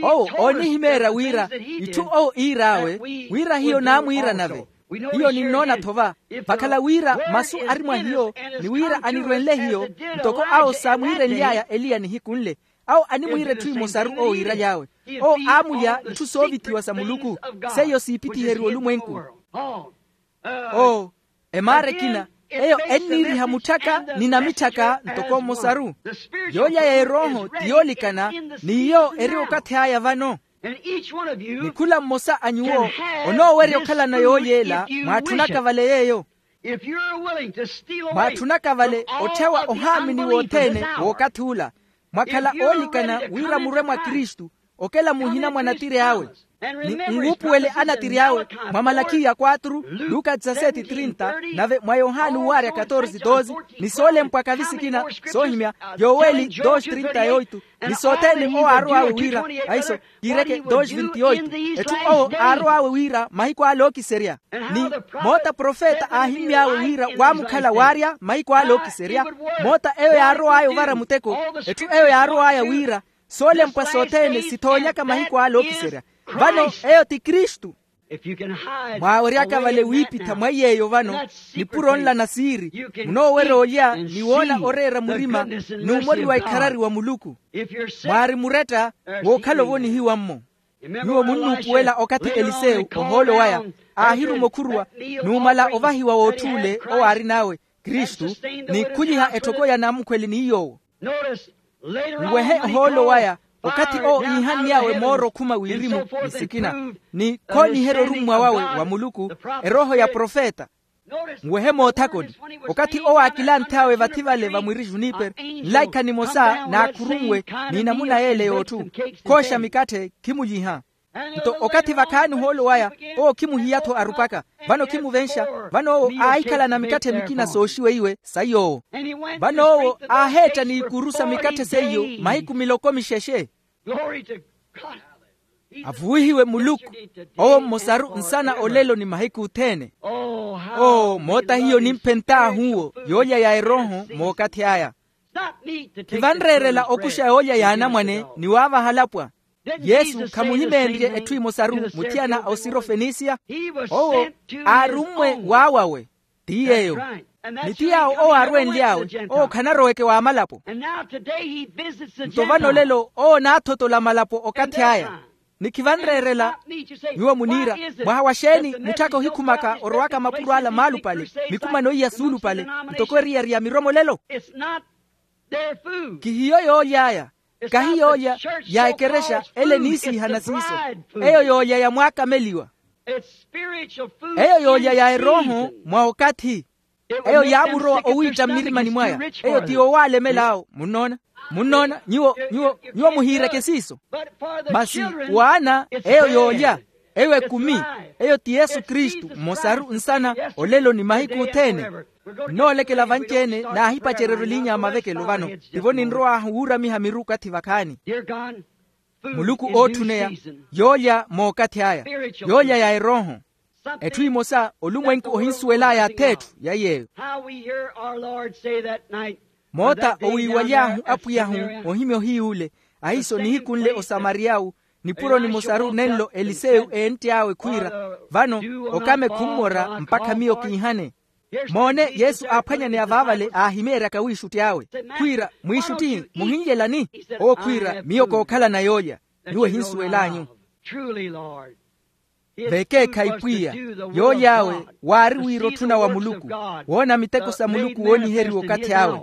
Owo oonihimeerya wira itthu owo iir'awe wira hiyo naamwiira nave. Hiyo ninnoona-tho va vakhala wira masu ari mwa hiyo ni wira anirwenle hiyo ntoko awo saamwiirenly'aya eliya nihiku nle. Awo animwiira etthu emosaru owo yiiraly'awe. Owo aamulya itthu soovithiwa sa muluku seiyo siipittiheriwa olumwenku. Oo emaara ekina eyo enniiriha mutthaka ni namitthaka ntoko mmosaru. Yoolya ya erooho ti yoolikana ni iyo eri okathi aya vano. Ni khula mmosa a nyuwo onoowerya okhalana yooly'ela mwaatthunaka vale yeeyo. Mwaatthunaka vale otthewa ohaamini wothene w'okathi ula mwakhala oolikana wira murwe mwa kristu okela muhina mwa natiri awe. Ni nwuupuwele anatiri awe mwa malakhiya quatro, luka dezaseti trinta, nave mwa yohani uwaarya katorze doze, ni soolempwa kavi sikina soohimya yoweli dos trinta yoitu. Ni sothene owo aarow'awe wira ahiso kiireke dos vinti oitu etthu owo aarow'awe wira mahiku ale ookiserya. Ni moota profeta aahimmy'awe wira waamukhala waarya mahiku ale ookiserya. Moota eyo yaarow'aya ovara muteko etthu eyo yaarow'aya wira soolempwa sothene sithoonyaka mahiku ale ookiserya. Vano eyo ti kristu. Mwaaweryaka vale wiipitha mwa iy'eyo vano nipuro nla na siiri munoowerya olya ni woona oreera murima n'umoli wa ikharari wa muluku. Mwaari muretta wookhala ovonihiwa-mmo. Nyuwo munnuupuwela okathi elisewu ohoolo waya aahiruma okhuruwa numala ovahiwa w'otth'ule owo aarin'awe kristu ni khuliha etthoko ya namukhweli ni yoowo. Nwehe ohoolo waya okathi owo iihann'awe mooro okhuma wirimu ni sikina ni khooniherya orummwa wawe wa muluku erooho ya profeta. Nwehe moothakoni okathi owo aakilanth'awe vathi vale vamwiri junipero nlaikha nimosa naakhurunwe n'inamuna y'ele y'otthu khooxa mikatthe khimulyiha. Nto okathi vakhaani ohoolo waya owo khimuhiya-tho arupaka vano khimuvenxa. Vano owo aahikhalana mikatthe mikina sooxiweiwe sa yoowo. Vano owo aaheetta n'ikuru sa mikatthe seiyo mahiku miloko mixexe. Avuwihiwe muluku owo mmosaru nsana olelo ni mahiku othene. Oo moota hiyo nimphentt'ahu owo yoolya ya erooho mookathi aya. Khivanreerela okuxa yoolya y'anamwane ni waavaha alapwa. Yesu khamuhimeenrye etthu emosaru muthiyana a osirofenisiya. Owo aarummwe waawawe ti yeeyo. Ni ti yaawo owo aarwenly'awe owo khanaroweke w'amalapo. Nto vano olelo owo onaathotola malapo okathi aya. Ni khivanreerela. Nyuwo muniira mwaha wa xeeni mutthaka ohikhumaka orowaka mapuro ala maalupale mikumano iya suulupale ntoko eriyari ya miromolelo. Kihiyo yooly'aya kahi yoolya ya ekerexa ele eniisiihana siiso. Eyo yoolya ya mwaakameliwa. Eyo yoolya ya erooho mwa okathi. Eyo yaamurowa owiitta mmirimani mwaya. Eyo ti yowaalemela awo munnoona. Munnoona nyuwo nyuwo nyuwo muhiireke siiso. Masi waana eyo yoolya eyo ekumi eyo ti yesu kristu mmosaru nsana olelo ni mahiku othene. Nnoolekela vanci-ene naahipacereryo eliinya ya mavekelo vano tivo ninrow'ahu wuuramiha miru okathi vakhaani. Muluku ootthuneya yoolya mookathi aya yoolya ya erooho. Etthu emosa olumwenku ohinsuwel'aya ath'etthu ya yeeyo. Moota owiiwaly'ahu apwiy'ahu ohimya ohiy'ule ahiiso nihiku nle osamariya'u nipuro nimosaru nenlo eliseyu eentt'awe khwiira vano okame khummora mpakha miyo kiihane. Moone yesu aaphwanyaneya vaavale aahimeeryaka wiixutti awe khwiira mwiixuttihi muhinlyelani? Owo khwiira miyo kookhalana yoolya. Nyuwo ehinsuwel'anyu. Vekeekhayi pwiya yoolya awe waari wira otthuna wa muluku woona miteko sa muluku wooniheriwa okathi awe.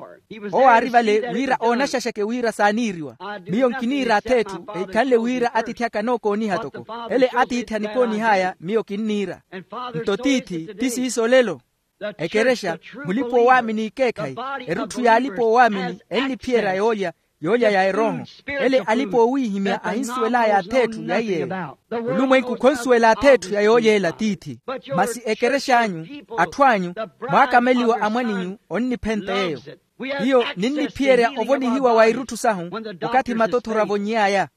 Owo aari vale wira oonaxaxake wira saaniiriwa. Miyo nkiniira ath'etthu ehikhanle wira atiithi aka anookooniha toko ele atiithi anikoonih'aya miyo kinniira. Nto tiithi ti siiso olelo. Ekerexa mulipa-oowaamini ikeekhayi erutthu y'alipa-oowaamini enniphiyerya yoolya yoolya ya erooho. Ele alipa-oowiihimya ahinsuwel'aya ath'etthu ya iyeeyo. Olumwenku khonsuwela ath'etthu ya yoolya ela tiithi. Masi ekerex'anyu atthu anyu mwaakameliwa amwan'inyu onniphenta yeeyo. Hiyo ninniphiyerya ovonihiwa wa irutthu sahu okathi matothoro avonny'aya.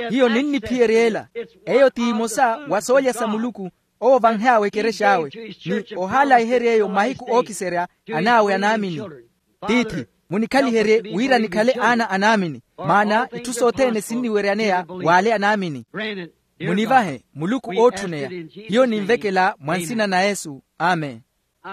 Hiyo ninniphiyerya ela eyo ti imosa wa soolya sa muluku. Owo vanhey'awe ekerexa awe, ni ohaalayiherya eyo mahiku ookiserya an'awe anaamini. Tiithi, munikhaliherye wira nikhale aana anaamini, maana itthu sothene sinniweryaneya w'ale anaamini. Munivahe muluku ootthuneya. Hiyo ninvekela mwa nsina na yesu. Amen.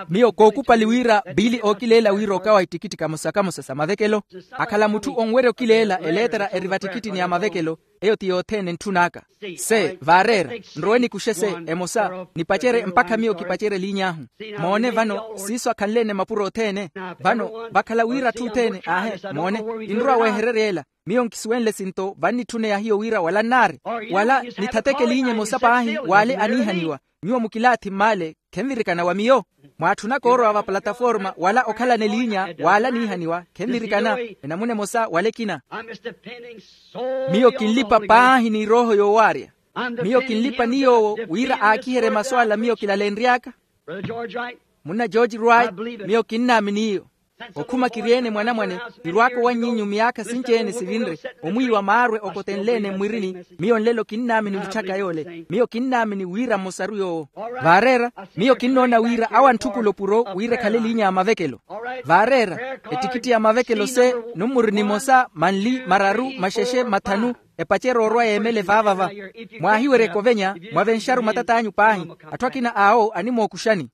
Miyo kookupali wira biili ookileela wira okawa ittikitti kamosa-kamosa sa mavekelo. Akhala mutthu onwerya okileela eleetera eri vattikittini ya mavekelo. Eyo ti yothene entthun'aka. Se vaareera, nrowe nikuxe se emosa nipacerye mpakha miyo kipacerye eliiny'ahu. Moone vano, siiso akhanle-ene mapuro othene. Vano vakhala wira atthu othene aahe, moone, kinrowa wehererya ela. Miyo nkisuwenle sinto vannitthuneya hiyo wira wala nnaari, wala nithateke eliinya emosa paahi w'ale aniihaniwa. Nyuwo mukilaathi m'male, khenvirikana wa miyo? Mwaatthunaka oorowa va plataforma wala okhalana eliinya w'ale aniihaniwa, khenvirikana? Enamuna emosa wala ekina. Miyo kinlipa paahi ni erooho yoowaarya. Miyo kinlipa ni yoowo wira aakiherye masu ala miyo kilalenry'aka. Munna george wright, miyo kinnaamini iyo. Okhuma kiri-ene mwanamwane, kirwaaka owannyinnyu myaakha sinci-ene sivinre, omwiiwa maarwe okotenle-ene mmwirini. Miyo nlelo kinnaamini mutthaka yoole, miyo kinnaamini wira mmosaru yoowo. Vaareera, miyo kinnoona wira awo antthukula opuro wira ekhale eliinya ya mavekelo. Vaareera, ettikitti ya mavekelo se, nummuru nimosa manli mararu maxexe mathanu, epacerya orwa yeemele vaavava. Mwaahiwerya ekovenya, mwavenxaru matat'anyu paahi. Atthu akina awo animookuxani.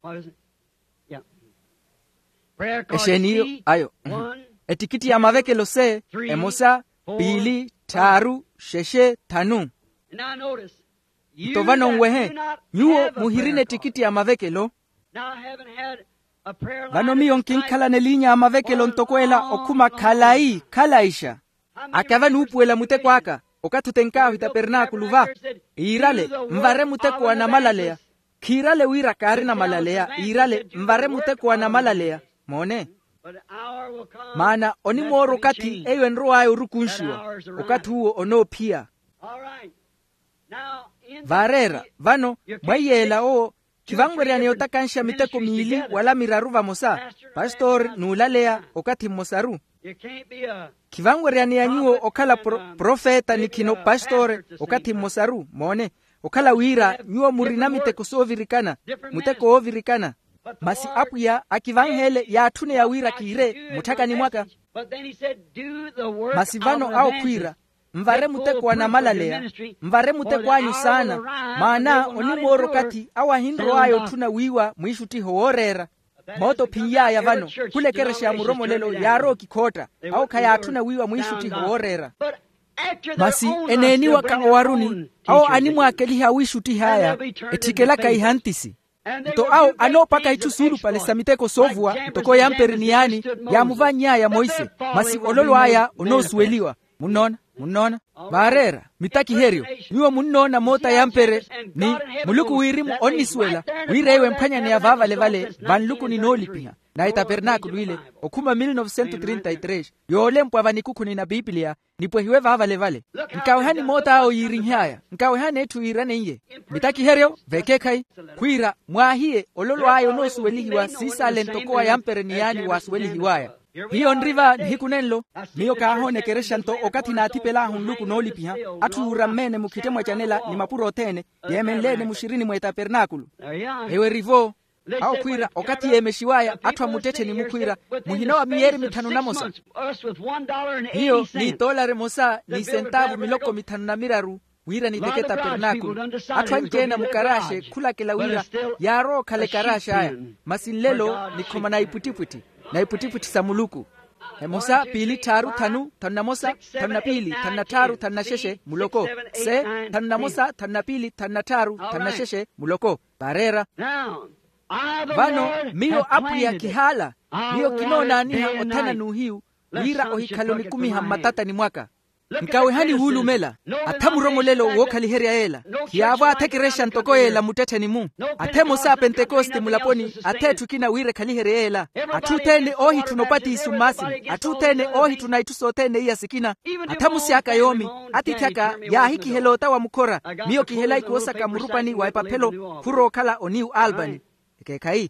Exeeni iyo ayo? Ettikitti ya mavekelo se, emosa, piili, tthaaru, xexe, thanu. Nto vano nwehe, nyuwo muhirina ettikitti ya mavekelo. Vano miyo nkinkhalana eliinya ya mavekelo ntoko ela okhuma khalayi khalayixa. Akava nuupuwela muteko aka, okathi otenk'ahu itapernaakulu va, iirale, nvare muteko wa namalaleya. Khiirale wira kaarina malaleya, iirale nvare muteko wa namalaleya. Moone. Maana onimoora okathi eyo enrow'aya orukunxiwa, okathi uwo onoophiya. Vaareera, vano, mwa iyeela owo, khivanweryaneya otakanxa miteko miili wala miraru vamosa. Pastori n'ulaleya okathi mmosaru. Khivanweryaneya nyuwo okhala profeta ni khino pastori okathi mmosaru. Moone, okhala wira nyuwo murina miteko soovirikana, muteko woovirikana. Masi apwiya akivanheele yaatthune ya wira kiire mutthakani mwaka. Masi vano awo khwiira, nvare muteko wa namalaleya, nvare muteko anyu saana. Maana onimoora okathi awo ahinrow'aya otthuna wiiwa mwiixuttiho wooreera. Moota ophin'y'aya vano, khula ekerexa ya muromolelo yaarowa okikhootta. Awo khayaatthuna wiiwa mwiixuttiho wooreera. Masi eneeniwaka owaruni, awo animwaakeliha awiixuttih'aya, etthikelaka ihantisi. Nto awo anoopaka itthu suulupale sa miteko soovuwa ntoko yampere ni yaani, yaamuvanny'aya monse. Masi ololo aya onoosuweliwa. Munnoona? Munnoona? Vaareera, mitakiheryo. Nyuwo munnoona moota yampere, ni muluku wirimu onnisuwela wira eyo emphwanyaneya vaavalevale vanluku ninoolipiha. Naye tapernaakulu ile, okhuma mil novesento trinta y tres, yoolempwa vanikukhu ni na pipiliya, nipwehiwe vaavalevale. Nkawehani moota awo yiirinhy'aya, nkawehani etthu yiiraneiye. Mitakiheryo vekeekhayi, khwiira mwaahiye ololo aya onoosuwelihiwa siisaale ntoko wa yampere ni yaani waasuwelihiw'aya. Hiyo nri va nihiku nenlo. Miyo kaahoona ekerexa nto okathi naathipel'ahu nluku noolipiha, atthu yuurammeene mukhitte mwacanela ni mapuro othene, yeemenleene muxirini mwa etapernaakulu. Eyo eri-vo. Awo khwiira okathi yeemexiw'aya atthu a muttettheni mukhwiira, muhina wa miyeeri mithanu na mosa. Hiyo ni etoolari emosa ni isentaavu miloko mithanu na miraru, wira niteke etapernaakulu. Atthu anci-ene a mukaraxe khulakela wira yaarowa okhala ekaraxe aya. Masi nlelo nikhoma na ipwittipwitthi, na ipwittipwitthi sa muluku. Emosa piili tthaaru thanu thanu na mosa thanu na piili thanu na tthaaru thanu na xexe muloko. Se, thanu na mosa thanu na piili thanu na tthaaru thanu na xexe muloko. Vaareera. Vano miyo apwiya kihaala, miyo kinoonaaniha othana n'uhiyu, wira ohikhale onikumiha mmatatani mwaka. Nkawehani wuulumela. Atha muromolelo wookhaliherya yeela. Khiyaavo atha ekerexa ntoko yeela muttettheni-mu. Atha emosa a pentekoste mulaponi, atha etthu ekina wira ekhaliherye yeela. Atthu othene oohitthuna opatiso mmaasini, atthu othene oohitthuna itthu sothene iya sikina. Atha musi aka yoomi, atiithi aka yaahikihela ota wa mukhora. Miyo kihela ikuwo saka murupani wa epaphelo, khurowa okhala oniwu albani. Ekeekhayi.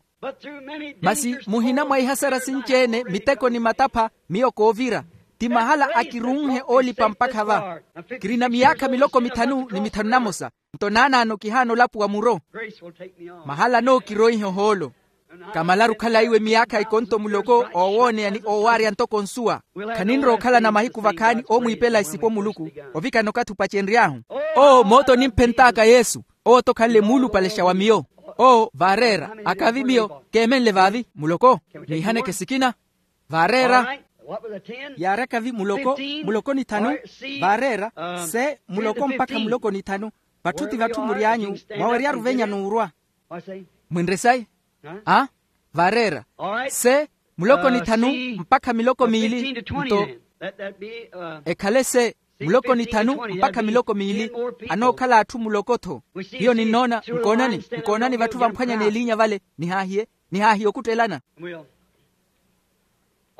Masi muhina mwa ihasara sinci-ene miteko ni matapha, miyo koovira. Ti mahala akirunhe oolipa mpakha va. Kirina miyaakha miloko mithanu ni mithanu na mosa. Nto naanaano kihaana olapuwa muro. Mahala anookiroiha ohoolo. Kamalaru okhala iwe miyaakha ikonto muloko oowooneya ni oowaarya ntoko nsuwa. Khaninrowa okhalana mahiku vakhaani oomwiipela esipo muluku. Ovikana okathi opacenry'ahu. Oo moota onimphent'aka yesu. Owo-tho okhanle muulupalexa wa miyo. Oo vaareera. Akavi miyo keemenle vaavi muloko. Niihaneke sikina. Vaareera. Yaaryaka vi muloko. Muloko ni thanu. Vaareera. Se muloko mpakha muloko ni thanu. Vatthu ti vatthu mury'anyu. Mwaweryaru venya n'urwa. Mwinre sayi. A vaareera. Se muloko ni thanu mpakha miloko miili. Nto ekhale se muloko ni thanu mpakha miloko miili. Anookhala atthu muloko-tho. Hiyo ninnoona nkoonani nkoonani vatthu vamphwanya n'eliinya vale. Nihaahiye nihaahiye okuttelana.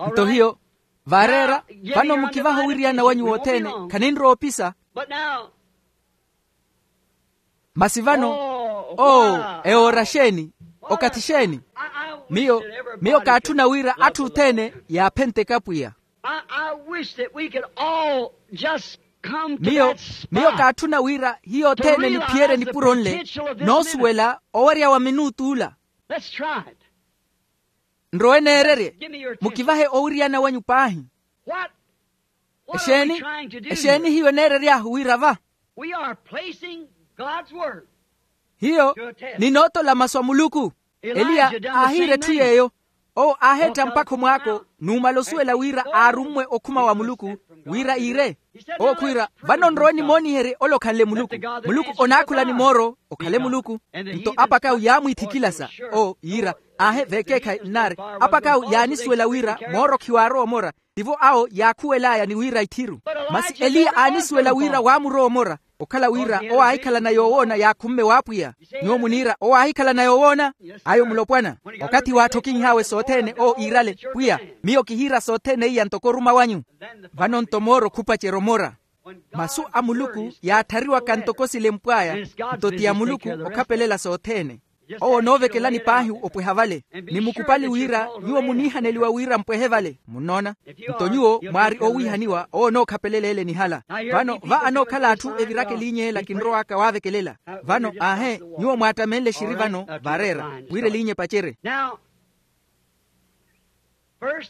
Nto hiyo vaareera. Vano mukivahe owiriyana wanyu wothene. Khaninrowa opisa. Masi vano oo ewoora xeeni? Okathi xeeni? Miyo miyo kaatthuna wira atthu othene yaaphenteke apwiya. Miyo miyo kaatthuna wira hiyo othene niphiyerye nipuro nle noosuwela owerya wa minuutu ula. Nrowe neererye. Mukivahe owiriyana wanyu paahi. Exeeni exeeni hiyo eneerery'ahu wira va? Hiyo ninootola masu a muluku. Eliya aahiira etthu yeeyo. Owo aaheetta mpakha omwaako numala osuwela wira aarummwe okhuma wa muluku wira iire. Owo khwiira vano nrowe nimooniherye ole okhanle muluku. Muluku onaakhula ni mooro okhale muluku. Nto apak'awe yaamwiithikilasa. Owo yiira aahe veekeekhayi nnaari. Apak'awe yaanisuwela wira mooro khiwaarowa omora. Tivo awo yaakhuwel'aya ni wira ithiru. Masi eliya aanisuwela wira waamurowa omora okhala wira owo aahikhalana yoowoona yaakhumme w'apwiya. Nyuwo muniira owo aahikhalana yoowoona. Ayo mulopwana okathi waatthokinh'awe sothene owo iirale pwiya miyo kihiira sothene iya ntoko oruma wanyu. Vano nto mooro khupacerya omora. Masu a muluku yaatthariwaka ntoko silempw'aya. Nto ti a muluku okhapelela sothene. Owo onoovekelani paahi opweha vale. Ni mukupali wira nyuwo muniihaneliwa wira mpwehe vale munnoona. Nto nyuwo mwaari owiihaniwa owo onookhapelela ele nihala. Vano va anookhala atthu eviraka eliinya ela kinrow'aka waavekelela. Vano aahe nyuwo mwaattamenle exiri vano vaareera wira eliinya epacerye.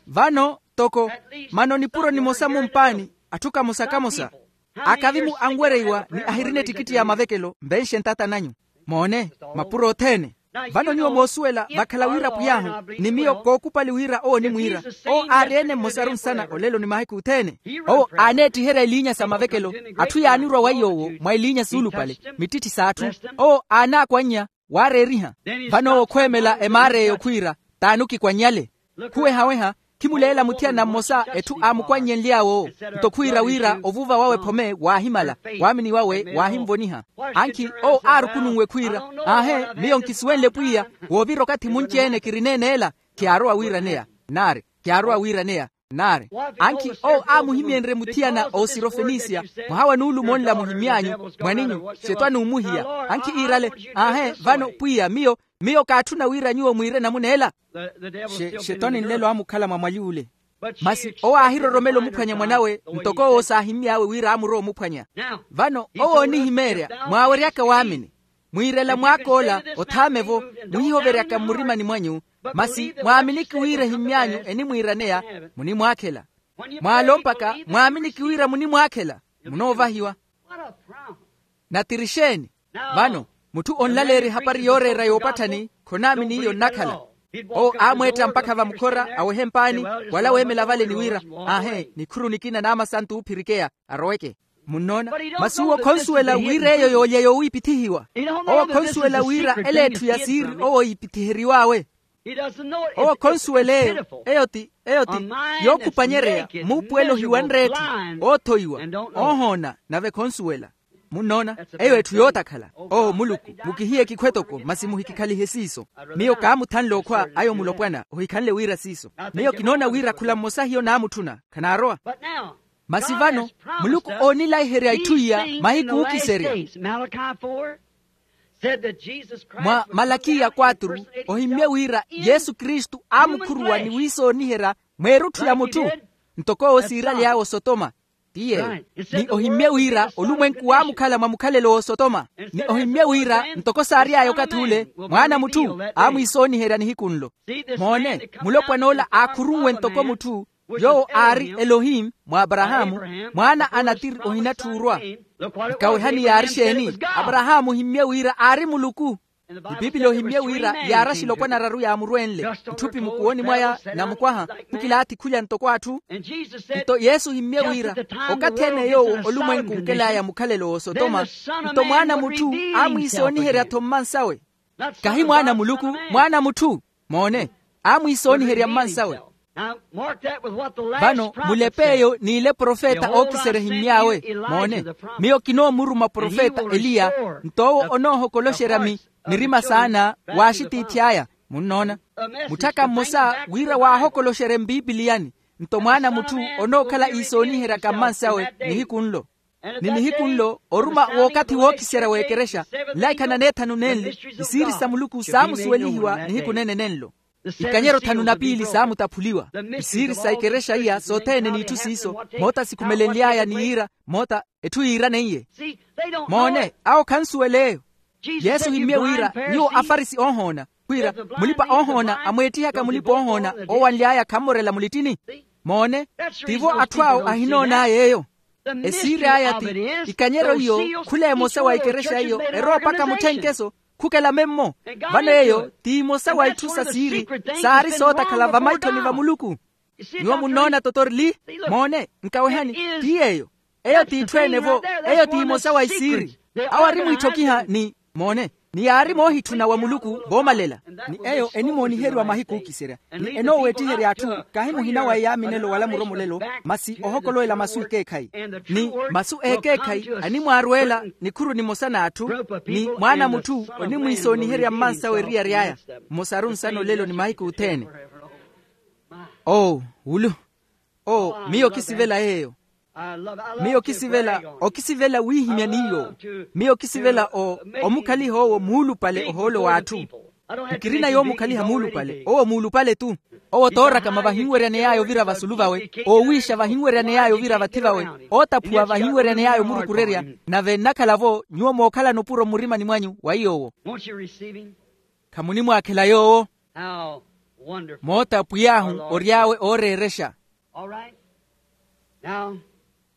Vano toko mano nipuro nimosa mumpaani atthu kamosa-kamosa. Akavimu anwereiwa ni ahirina ettikitti ya mavekelo mvenxe ntata nanyu. Moone mapuro othene. Vano nyuwo moosuwela vakhala wira pwiy'ahu ni miyo kookupali wira owo onimwiira. Owo aari-ene mmosaru nsana olelo ni mahiku othene. Owo aaneettiherya eliinya sa mavekelo atthu yaanirwa weiy'owo mwa eliinya suulupale mittitti s'atthu. Owo aanaakwanya waareeriha. Vano owo khweemela emaar'eyo khwiira t'ani okikwannyale. Khuwehaweha khimuleela muthiyana mmosa etthu aamukwannyenly'awe owo. Nto khwiira wira ovuva wawe phome waahimala waamini wawe waahimvoniha. Ankhi owo aarukununwe khwiira aahe miyo nkisuwenle pwiya woovira okathi munci-ene kirineene ela. Khiyaarowa wiiraneya naari khiyaarowa wiiraneya naari. Ankhi owo aamuhimyenrye muthiyana oosirofenisia mwaha wa nuulumo nla muhimmy'anyu mwaninyu xetwani omuhiya. Ankhi iirale aahe vano pwiya miyo miyo kaatthuna wira nyuwo mwiire namuna ela. Xetwani nlelo aamukhala mwa mwali ule. Masi owo aahiroromela omuphwanya mwan'awe ntoko owo saahimmy'awe wira aamurowa omuphwanya. Vano owo oonihimeerya mwaaweryaka waamini mwiirela mwaak'ola othaame-vo mwihihoveryaka mmurimani mwanyu. Masi mwaaminiki wira ehimmy'anyu enimwiiraneya munimwaakhela. Mwaalompaka mwaaminiki wira munimwaakhela munoovahiwa. Natirixeeni. Vano mutthu onlaleerya ehapari yooreera yoopatthani khonaamini iyo nnakhala. Owo aamweetta mpakha vamukhora awehe mpaani wala weemela vale ni wira aahe nikhuru nikina naamasantu oophirikeya aroweke. Munnoona masi uwo khonsuwela wira eyo yoolya yowiipithihiwa. Owo khonsuwela wira ela etthu ya siiri owo iipithiheriw'awe. Owo khonsuwela eyo eyo ti eyo ti yookhupanyereya muupuwelo ohiwanre etthu oothoiwa oohoona nave khonsuwela. Munnoona eyo etthu yootakhala. Oo muluku mukihiye ekikhwe toko masi muhikikhalihe siiso. Miyo kaamuthanle okhwa ayo mulopwana ohikhanle wira siiso. Miyo kinoona wira khula mmosa hiyo naamutthuna khanaarowa. Masi vano muluku oonilaiherya itthu iya mahiku ookiserya. Mwa malakiya kwaturu ohimmye wira yesu kristu aamukhuruwa ni wiisooniherya mweerutthu ya mutthu. ntoko owo siiraly'awe osotoma. Tiye. Ni ohimmye wira olumwenku waamukhala mwa mukhalelo w'osotoma. Ni ohimmye wira ntoko saary'aya okathi ule, mwaana a mutthu aamwiisooniherya nihiku nlo. Moone, mulopwan'ola aakhurunwe ntoko mutthu, yoowo aari elohim, mwa aparahaamu, mwaana a natiri ohinatthuurwa. Nkawehani yaari exeeni? Aparahaamu ohimmye wira aari muluku. Ni piipili ohimmye wira yaari axilopwana araru yaamurwenle, itthupi mukuwoni mwaya, namukwaha, khukilaathi khulya ntoko atthu. Nto yesu ohimmye wira, okathi-ene yoowo olumwenku onkel'aya mukhalelo w'osotoma, nto mwaana a mutthu aamwiisooniherya-tho mmansawe. Kahi mwaana a muluku, mwaana a mutthu. Moone, aamwiisooniherya mmansawe. Vano mulepe eyo n'ile profeta ookiserya ehimmy'awe. Moone, miyo kinoomuruma profeta eliya, nto owo onoohokoloxerya mi mirima saana, w'axitiithi aya. Munnoona, mutthaka mmosa wira waahokoloxerye mpiipiliyani, nto mwaana a mutthu onookhala iisooniheryaka mmansawe nihiku nlo. Ni nihiku nlo oruma w'okathi wookiserya w'ekerexa, nlaikha na neethanu nenli, isiiri sa muluku saamusuwelihiwa nihiku nene nenlo. Ikanyero thanu na piili saamutaphuliwa. Isiiri sa ikerexa iya sothene n'itthu siiso, moota sikhumelenly'aya ni yiira, moota etthu yiiraneiye. Moone, awo khansuwela eyo. Yesu ohimmye wira, nyuwo afarisi oohoona, wira mulipa-oohoona amweettihaka mulipa-oohoona oowanly'aya khammorela mulittini. Moone, tivo atthu awo ahinoon'aya eyo. Esiiri aya ti, ikanyero iyo khula emosa wa ikerexa iyo erowa mpakha mutthenkeso, khukela memmo. Vano eyo ti imosa wa itthu sa siiri saari sootakhala vamaithoni va muluku. Nyuwo munnoona totorli? Moone, nkawehani, ti yeeyo. Eyo ti itthu ene-vo. Eyo ti imosa wa isiiri. Awo ari mwiitthokiha ni, moone, ni yaari moohitthuna wa muluku voomalela. Ni eyo enimooniheriwa mahiku ookiserya, ni enooweettiherya atthu. Kahi muhina wa eyaaminelo wala muromolelo, masi ohokolowela masu ekeekhayi. Ni masu ekeekhayi animwaarweela nikhuru nimosa n'atthu. Ni mwaana a mutthu onimwiisooniherya mmansawe eriyari aya. Mmosaru nsana olelo ni mahiku othene. Oo, wulu. Oo, miyo kisivela yeeyo. Miyo kisivela, okisivela wiihimya n'iyo. Miyo kisivela o, omukhaliha owo muulupale ohoolo w'atthu. Nkirina yoomukhaliha muulupale owo muulupale-tu. Owo toorakama vahinweryane yaya ovira vasulu vawe. Oowiixa vahinweryane yaya ovira vathi vawe. Ootaphuwa vahinweryane yaya omurukurerya. Nave nnakhala-vo nyuwo mookhalana opuro mmurimani mwanyu wa iy'owo. Khamunimwaakhela yoowo. Moota pwiy'ahu ory'awe ooreerexa.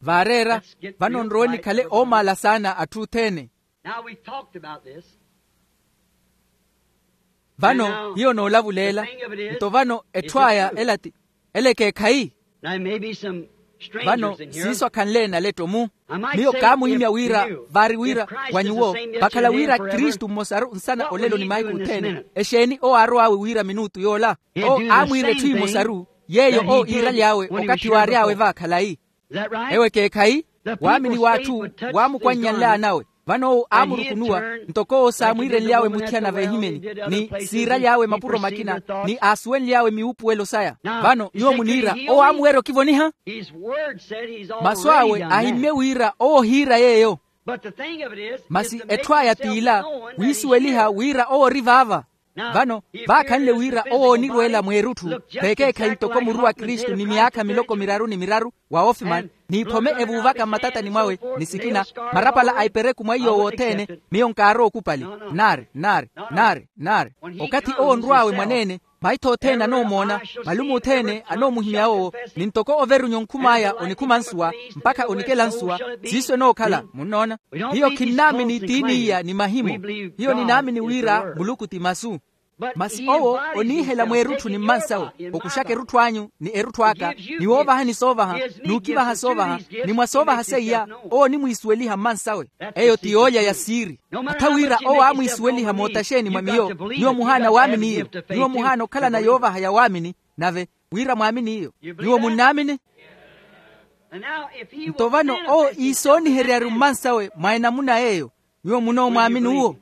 Vaareera. Vano nrowe nikhale oomaala saana atthu othene. Vano hiyo noolavuleela. Nto vano etthu aya ela ti, ela ekeekhayi. Vano siiso akhanle naletto-mu. Miyo kaamuhimya wira vaari wira wa nyuwo, vakhala wira kristu mmosaru nsana olelo ni mahiku othene. Exeeni owo aarow'awe wira minutu yoola? Owo aamwiira etthu imosaru yeeyo owo iiraly'awe okathi waary'awe va khalayi. Ewo ekeekhayi. Waamini w'atthu waamukwanny'anly'an'awe. Vano owo aamurukunuwa ntoko owo saamwiirenly'awe muthiyana v'ehimeni, ni siiraly'awe mapuro makina, ni aasuwenly'awe miwuupuwelo saya. Vano nyuwo muniira owo aamuwerya okivoniha? Masu awe ahimmye wira owo ohiira yeeyo. Masi etthu aya t'ila, wiisuweliha wira owo ori vaava. Vano vaakhanle wira owo onirweela mweerutthu, v'ekeekhayi ntoko muru wa kristu ni myaakha miloko miraru ni miraru wa ofimani, n'iphome evuuvaka mmatatani mwawe, ni sikina marapala a ipereku mwa iy'owo othene. Miyo nkaarowa okupali. Nnaari, nnaari, nnaari, nnaari. Okathi owo onrw'awe mwaneene, maitho othene anoomoona, malume othene anoomuhimya owo, ni ntoko overunya onkhum'aya onikhuma nsuwa, mpakha onikela nsuwa. Siiso enookhala munnoona. Hiyo khinnaamini tiini iya ni mahimo. Hiyo ninaamini wira muluku ti masu. Masi owo oniihela mweerutthu ni mmansawe, okuxaka erutthu anyu ni erutthu aka, ni woovahani soovaha, n'ukivaha soovaha, ni mwa soovaha seiya owo onimwiisuweliha mmansawe. Eyo ti yoolya ya siiri. Atha wira owo aamwiisuweliha mootaxeeni mwa miyo. Nyuwo muhaana waamini iyo. Nyuwo muhaana okhalana yoovaha ya waamini. Nave wira mwaamini iyo, nyuwo munnaamini? Nto vano owo iisooniheryaru mmansawe mwa enamuna yeeyo, nyuwo munoomwaamini uwo?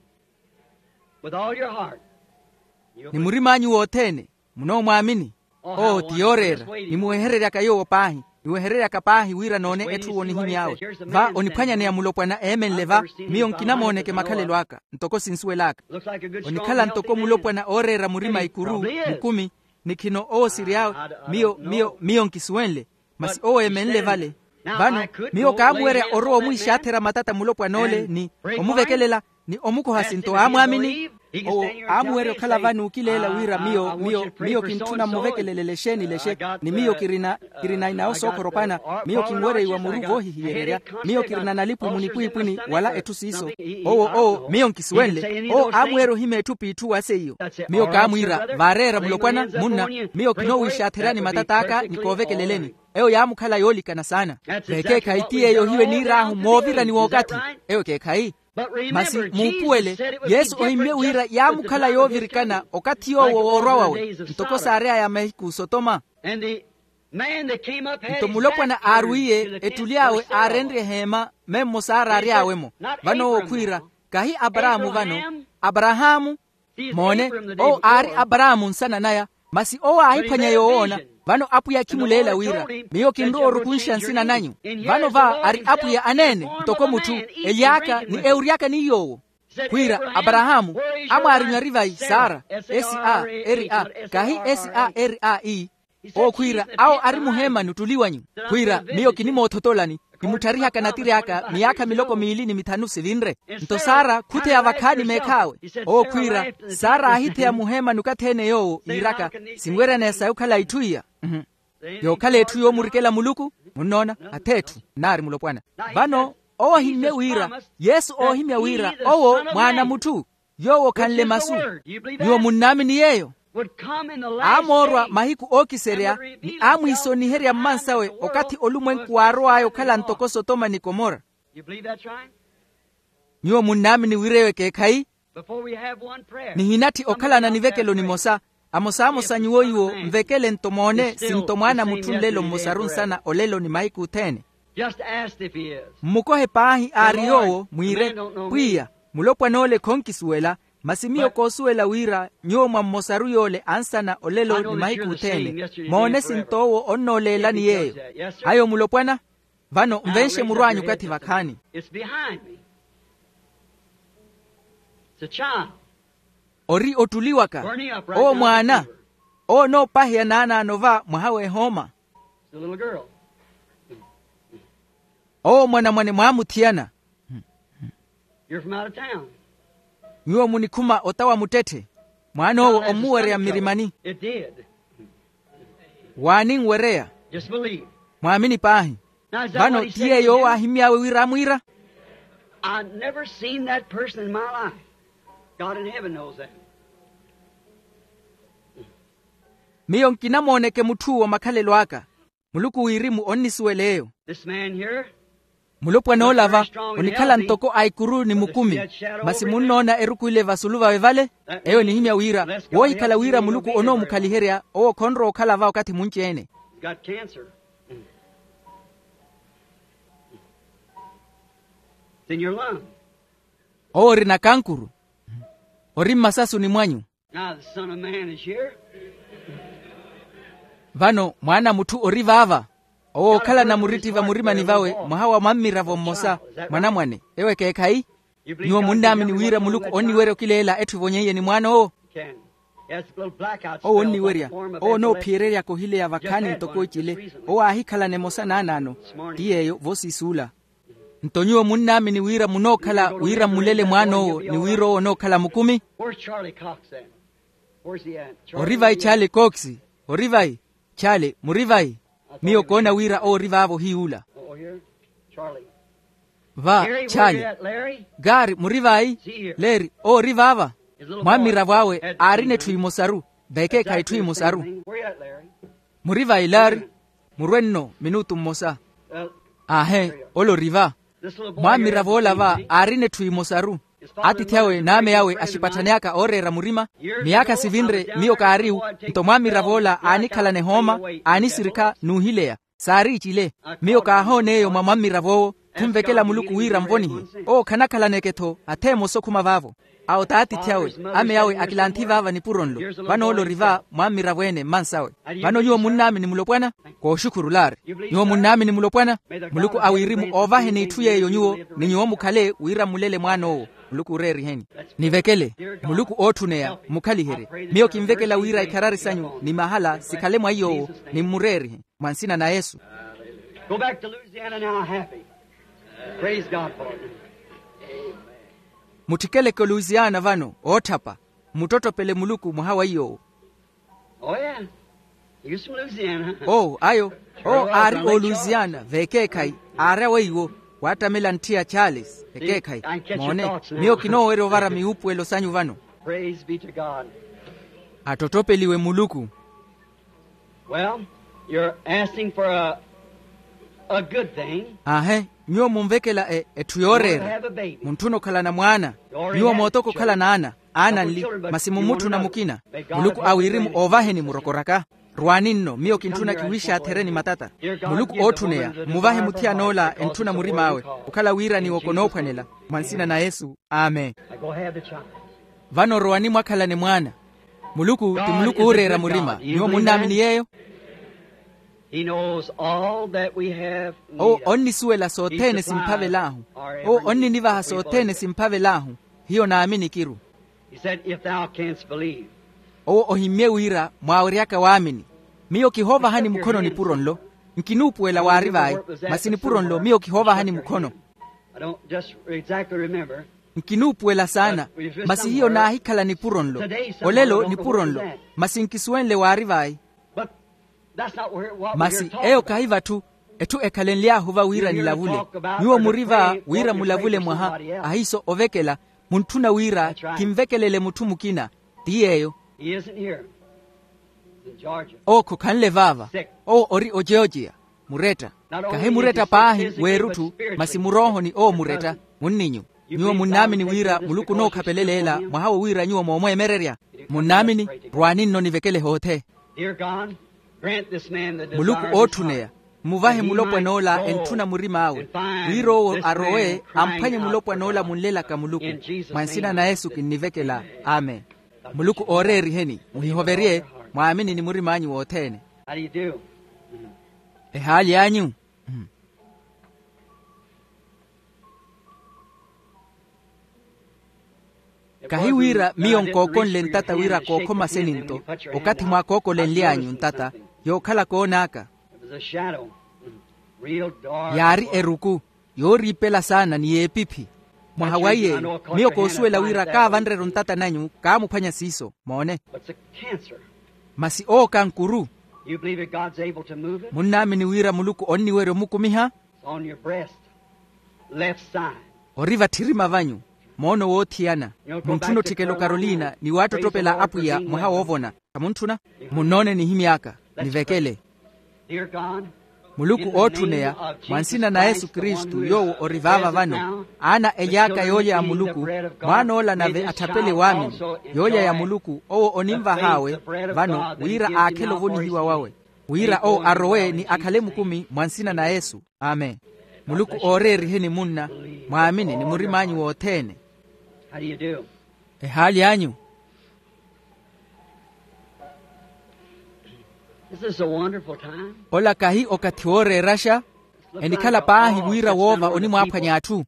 Ni murim'anyu wothene munoomwaamini? Oo ti yooreera. Nimuwehereryaka yoowo paahi. Niwehereryaka paahi wira noone etthu onihimy'awe. Va oniphwanyaneya mulopwana eemenle va. Miyo nkinamooneke makhalelo aka ntoko sinsuwel'aka. Onikhala ntoko mulopwana ooreera murima ikuru, mukumi. Ni khino owo siri awe. Miyo miyo miyo nkisuwenle. Masi owo emenle vale. Vano miyo kaamuwerya orowa omwiixaathera matata mulopwan'ole ni omuvekelela ni omukoha sinto aamwaamini. Owo aamuwerya okhala vano ookileela wira miyo miyo miyo kintthuna mmuvekelelele exeeni lexe. Ni miyo kirina kirina inawo sookhorophana. Miyo kinwereiwa muru voohihiyererya. Miyo kirina nalipu munipwiipwini wala etthu siiso. Owo owo miyo nkisuwenle owo aamuwerya ohima etthu p'itthu wa seiyo. Miyo kaamwiira vaareera mulopwana munna. Miyo kinoowiixaatherani matat'aka ni koovekeleleni. Eyo yaamukhala yoolikana saana. Vekeekhayi ti yeeyo ohiwe niir'ahu moovirani w'okathi. Eyo ekeekhayi. Masi muupuwele yesu ohimmye wira yaamukhala yoovirikana okathi yoowo woorwa wawe ntoko saary'aya mahiku sotoma. Nto mulopwana aarwiye ettuli awe aarenrye eheema memmo saaraary'awe-mo. Vano owo khwiira kahi aparaamu vano aparahaamu. Moone owo aari aparaamu nsana naya. Masi owo aahiphwanya yoowoona. Vano apwiya khimuleela wira miyo kinrowa orukunxa nsina nanyu. Vano va ari apwiya aneene ntoko mutthu ely'aka ni ewury'aka ni yoowo. Khwiira aparahaamu amwaarinywa ari vayi sara s a r a kahi s a r a e. Owo khwiira awo ari muheemani ottuli wanyu. Khwiira miyo kinimoothotolani nimutthariha kanatiri aka miyaakha miloko miili ni mithanu sivinre. Nto sara khutheya vakhaani meekh'awe. Owo khwiira sara aahitheya muheemani okathi-ene yoowo iiraka sinweryaneya sayi okhala itthu iya. Yookhala etthu yoomurikela muluku. Munnoona ath'etthu nnaari mulopwana. Vano owo ahimmye wira yesu oohimya wira owo mwaana mutthu yoowo khanle masu. Nyuwo munnaamini yeeyo aamoorwa mahiku ookiserya ni aamwiisoniherya mmansawe okathi olumwenku waarow'aya okhala ntoko sotoma ni komora. Nyuwo munnaamini wira eyo ekeekhayi. Nihinatthi okhalana nivekelo nimosa. Amosaamosa nyuwo iwo nvekele nto moone sinto mwaana mutthu nlelo mmosaru nsana olelo ni mahiku othene. Mmukohe paahi aari yoowo mwiire, pwiya, mulopwan'ole khonkisuwela. Masi miyo koosuwela wira nyuwo mwa mmosaru yoole ansana olelo ni mahiku othene. Moone sinto owo onnooleelani yeeyo. Ayo mulopwana. Vano nvenxe murw'anyu okathi vakhaani. Ori ottuli waka. Owo mwaana. Owo onoopaheya naanaano va mwaha w'ehooma. Owo mwanamwane mwaamuthiyana. Nyuwo munikhuma ota wa muttetthe. Mwaan'owo ommuwereya mmirimani. Waaninwereya. Mwaamini paahi. Vano ti yeeyo owo aahimy'awe wira amwiira. I've never seen that person in my life. God in heaven knows that. Miyo nkinamooneke mutth'uwo makhalelo aka. Muluku wirimu onnisuwela eyo. This man here. Mulopwan'ola va onikhala ntoko a ikuru ni mukumi. Masi munnoona eruku ile vasulu vawe vale. Eyo enihimya wira woohikhala wira muluku onoomukhaliherya owo khonrowa okhala va okathi munci-ene. He's got cancer. It's in your lung. Owo orina kankuru. Ori mmasasuni mwanyu. Now the Son of Man is here. Vano mwaana a mutthu ori vaava. Owo ookhalana muritti vamurimani vawe mwaha wa mwammiravo mmosa. Mwanamwane ewo ekeekhayi. Nyuwo munnaamini wira muluku onniwerya okileela etthu evonyeiye ni mwaan'owo? Owo onniwerya. Owo onoophiyererya kohileya vakhaani ntoko ecile. Owo aahikhalana emosa naanaano. Ti yeeyo voosiisuula. Nto nyuwo munnaamini wira munookhala wira mmulele mwaan'owo ni wira owo onookhala mukumi? Ori vayi chale kooksi? Ori vayi? Chale muri vayi? Miyo koona wira owo ori vaavo hiy'ula. Va chale. Gari muri vayi? Leri owo ori vaava. Mwammiravo awe aarina etthu imosaru. Vekeekhayi etthu imosaru. Muri vayi leri? Murwe nno minutu mmosa. Aahe. Ole ori va. Mwammiravo ola va aarina etthu imosaru. Atiithi awe n'ame awe axipatthani aka ooreera murima. Miyaakha sivinre miyo kaariwu. Nto mwammiravo ola aanikhalana ehooma, aanisirikha n'uhileya. Saari icile. Miyo kaahoona eyo mwa mwammirav'owo. Khunvekela muluku wira nvonihe. Owo khanakhalaneke-tho atha emosa okhuma vaavo. Awo t'atiithi awe. Ame awe akilanthi vaava nipuro nlo. Vano ole ori va mwammiravo-ene mmansawe. Vano nyuwo munnaamini mulopwana? Kooxukhurulaari. Nyuwo munnaamini mulopwana? Muluku a wirimu oovaheni itthu yeeyo nyuwo ni nyuwo mukhale wira mmulele mwaan'owo. Muluku ooreeriheni. Nivekele. Muluku ootthuneya mmukhaliherye. Miyo kinvekela wira ikharari sanyu ni mahala sikhale mwa iy'owo. Ni mmureerihe mwa nsina na yesu. Go back to Louisiana now, happy. Praise God for it. Mutthikeleke oluisiana vano ootthapa. Mmuttottopele muluku mwaha wa iy'owo. Oh yeah. You're from Louisiana. Oo ayo. Oo aari oluisiana veekeekhayi. Aarya weiwo. Waattamela ntthi ya charles veekeekhayi. Moone, miyo kinoowerya ovara miwuupuwelo sanyu vano. Praise be to God. Attottopeliwe muluku. Well, you're asking for a, a good thing. Aahe. Nyuwo munvekela etthu yooreera. Muntthuna okhalana mwaana. Nyuwo mootoko okhalana ana. Ana nli. Masi mummutthuna mukina. Muluku a wirimu oovaheni murokoraka. Rwaani nno miyo kintthuna kiwiixaathereni matata. Muluku ootthuneya mmuvahe muthiyan'ola entthuna murim'awe. Okhala wira niwoko noophwanela. Mwa nsina na yesu. Amen. Vano rowani mwakhalane mwaana. Muluku ti muluku ooreera murima nyuwo munnaamini yeeyo. Owo onnisuwela sothene simphavel'ahu. Owo onninivaha sothene simphavel'ahu. Hiyo naamini kiru. Owo ohimmye wira mwaaweryaka waamini. Miyo kihoovahani mukhono nipuro nlo. Nkinuupuwela waari vayi. Masi nipuro nlo miyo kihoovahani mukhono. Nkinuupuwela saana. Masi hiyo naahikhala nipuro nlo. Olelo nipuro nlo. Masi nkisuwenle waari vayi. Masi eyo kahi vatthu. Etthu ekhalenly'ahu va wira nilavule. Nyuwo muri va wira mulavule mwaha. Ahiiso ovekela. Muntthuna wira kinvekelele mutthu mukina. Ti yeeyo. Owo khokhanle vaava. Owo ori ojeojeya. Muretta. Kahi muretta paahi w'erutthu. Masi muroohoni owo muretta. Munninyu. Nyuwo munnaamini wira muluku onookhapeleleela mwaha wo wira nyuwo moomweemererya? Munnaamini? Rwaani nno nivekele hoothe. Muluku ootthuneya. Mmuvahe mulopwan'ola entthuna murim'awe. Wira owo arowe amphwanye mulopwan'ola munlelaka muluku. Mwa nsina na yesu kinnivekela. Amen. Muluku ooreeriheni. Muhihoverye. Mwaamini ni murim'anyu wothene. Ehaali anyu. Kahi wira miyo nkookonle ntata wira kookhoma seni nto. Okathi mwaakookolenly'anyu ntata yookhala koon'aka. Yaari eruku yooriipela saana ni y'epiphi. Mwaha wa iyeeyo miyo koosuwela wira kaavanre-ru ntata nanyu kaamuphwanya siiso moone. Masi owo kankuru. Munnaamini wira muluku onniwerya omukumiha? Ori vatthirima vanyu. Moono woothiyana. Muntthuna otthikela okarolina ni waattottopela apwiya mwaha woovona. Khamuntthuna? Munnoone nihimy'aka. Nivekele. Muluku ootthuneya. Mwa nsina na yesu kristu yoowo ori vaava vano. Aana ely'aka yoolya ya muluku. Mwaan'ola nave atthapele waamini. Yoolya ya muluku owo onimvah'awe vano wira aakhele ovonihiwa wawe. Wira owo arowe ni akhale mukumi mwa nsina na yesu. Amen. Muluku ooreeriheni munna. Mwaamini ni murim'anyu wothene. Ehaali anyu. Ola kahi okathi wooreeraxa. Enikhala paahi wira woova onimwaaphwanya atthu.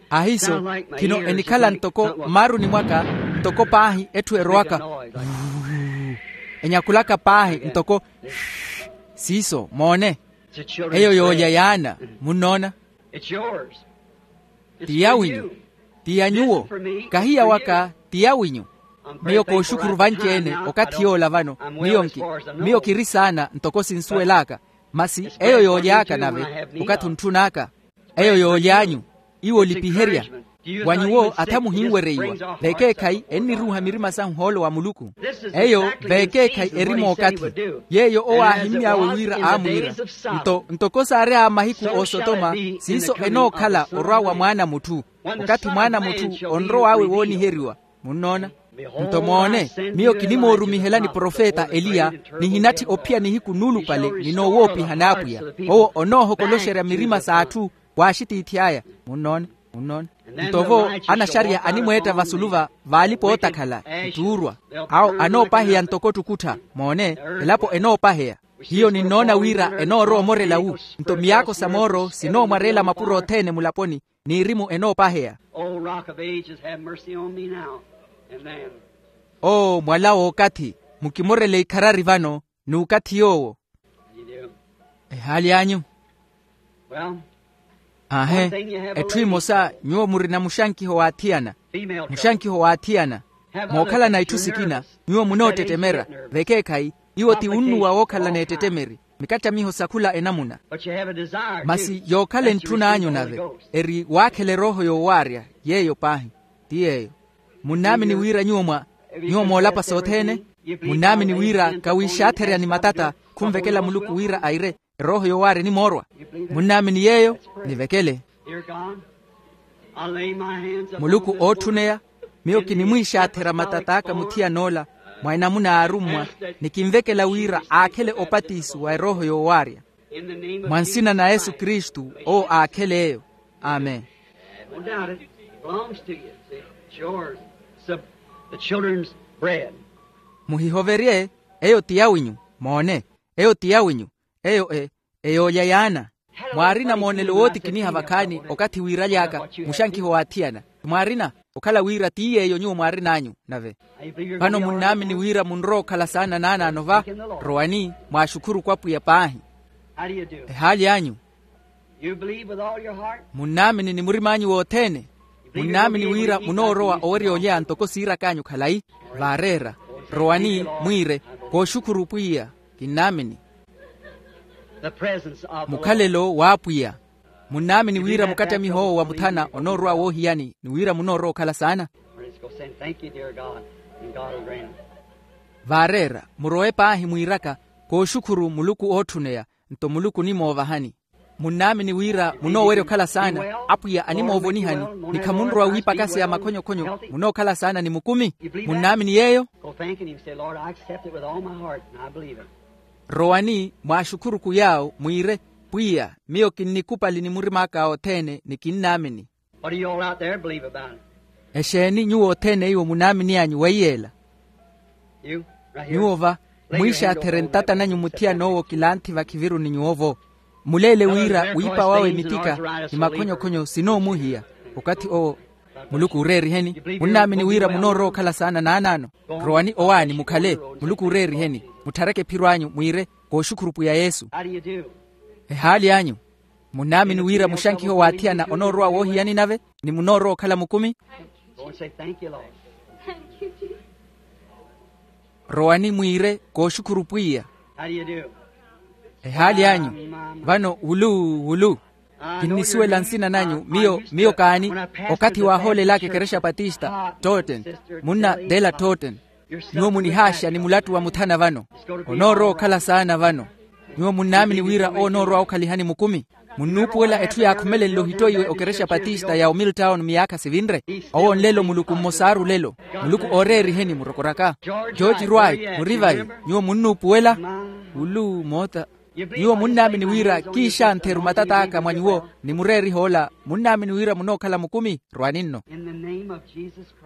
Ahiiso khino enikhala ntoko mmaaruni mwaka. Ntoko paahi etthu erowaka enyakulaka paahi ntoko siiso moone. Eyo yoolya yaana. Munnoona? Ti yawinyu. Ti ya nyuwo. Kahi ya waka. Ti yawinyu. Miyo kooxukhuru vanci-ene okathi yoola vano. Miyo nki miyo kiri saana ntoko sinsuwel'aka. Masi eyo yooly'aka nave okathi ontthun'aka. Eyo yooly'anyu. Iwo olipiherya. Wa nyuwo atha muhinwereiwa. Vekeekhayi enniruuha mirima sahu hoolo wa muluku. Eyo vekeekhayi eri mookathi. Yeeyo owo aahimmy'awe wira aamwiira. Nto ntoko saary'awe mahiku a osotoma siiso enookhala orwa wa mwaana a mutthu. Okathi mwaana a mutthu onrow'awe wooniheriwa. Munnoona? Nto moone, miyo kinimoorumihelani profeta eliya. Nihinatthi ophiya nihiku nuulupale ni noowoopiha n'apwiya. Owo onoohokoloxerya mirima s'atthu w'axitiithi aya. Munnoona? Munnoona? Nto vo anaxariya animweetta vasulu va vaalipa ootakhala. Ttuurwa. Awo anoopaheya ntoko ttukuttha. Moone, elapo enoopaheya. Hiyo ninnoona wira enoorowa omorela wu. Nto miyaakho sa mooro sinoomwareela mapuro othene mulaponi. N'irimu enoopaheya. Oo mwala w'okathi. Mukimorele ikharari vano. N'ukathi yoowo. Ehaali anyu. Aahe. Etthu emosa, nyuwo murina muxankiho waathiyana. Muxankiho waathiyana. Mookhalana itthu sikina, nyuwo munoottettemera. Vekeekhayi, iwo ti unnuwa wookhalana ettettemeri, mikattamiho sa khula enamuna. Masi yookhala entthun'anyu nave, eri waakhela erooho yoowaarya. Yeeyo paahi. Ti yeeyo. Munnaamini wira nyuwo mwa nyuwo moolapa sothene? Munnaamini wira kawiixaatherya ni matata khunvekela muluku wira aire erooho yoowaarya enimoorwa? Munnaamini yeeyo? Nivekele. Muluku ootthuneya, miyo kinimwiixaatherya matat'aka muthiyan'ola mwa enamuna a arummwa, ni kinvekela wira aakhele opatiso wa erooho yoowaarya. Mwa nsina na yesu kristu, owo aakhele eyo. Amen. Muhihoverye. Eyo ti yawinyu. Moone. Eyo ti yawinyu. Eyo e eyoolya yaana. Mwaarina moonelo wootikiniha vakhaani okathi wiiraly'aka muxankiho waathiyana? Mwaarina okhala wira ti yeeyo nyuwo mwaarin'anyu nave? Vano munnaamini wira munrowa okhala saana naanaano va? Rowani, mwaaxukhurukhu apwiya paahi. Ehaali anyu. Munnaamini ni murim'anyu wothene? Munnaamini wira munoorowa owerya olya ntoko siirak'anyu khalayi? Vaareera. Rowani, mwiire, kooxukhuru pwiya, kinnaamini. Mukhalelo w'apwiya. Munnaamini wira mukattamiho owo wa muthana onoorowa woohiyani ni wira munoorowa okhala saana? Vaareera, murowe paahi mwiiraka, kooxukhuru muluku ootthuneya, nto muluku onimoovahani. Munnaamini wira munoowerya okhala saana, apwiya animoovonihani, ni khamunrowa wiipakaseya makhonyokhonyo, munookhala saana ni mukumi? Munnaamini yeeyo? Rowani, mwaaxukhurukhu yaawo mwiire, pwiya, miyo kinnikupali ni murim'aka othene ni kinnaamini. Exeeni nyuwo othene iwo munaamin'anyu weiyeela? Nyuwo va, mwiixaatherye ntata nanyu muthiyan'owo kilanthi vakhiviruni nyuwo-vo. Muleele wira wiipa wawe mitika ni makhonyokhonyo sinoomuhiya. Okathi owo. Muluku oreeriheni. Munnaamini wira munoorowa okhala saana naanaano? Rowani owaani mukhale. Muluku oreeriheni. Mutthareke ephiro anyu mwiire, kooxukhuru pwiya yesu. Ehaali anyu. Munnaamini wira muxankiho waathiyana onoorowa woohiyani nave, ni munoorowa okhala mukumi? Rowani mwiire, kooxukhuru pwiya. Ehaali anyu. Vano wulu wulu. Kinnisuwela nsina nanyu. Miyo miyo kaani? Okathi waahoolelaka ekerexa patista totten, munna dela totten. Nyuwo munihaaxa ni mulattu wa muthana vano. Onoorowa okhala saana vano. Nyuwo munnaamini wira owo onoorowa okhalihani mukumi? Munnuupuwela etthu yaakhumelenle ohittoiwe okerexa patista ya omiltown miyaakha sivinre? Owo nlelo muluku mmosaru lelo. Muluku ooreeriheni murokoraka. George rwai, murivayi? Nyuwo munnuupuwela? Wulu moota. Nyuwo munnaamini wira kiixantheru matat'aka mwa nyuwo, ni mureeriha ola munnaamini wira munookhala mukumi? Rwani nno.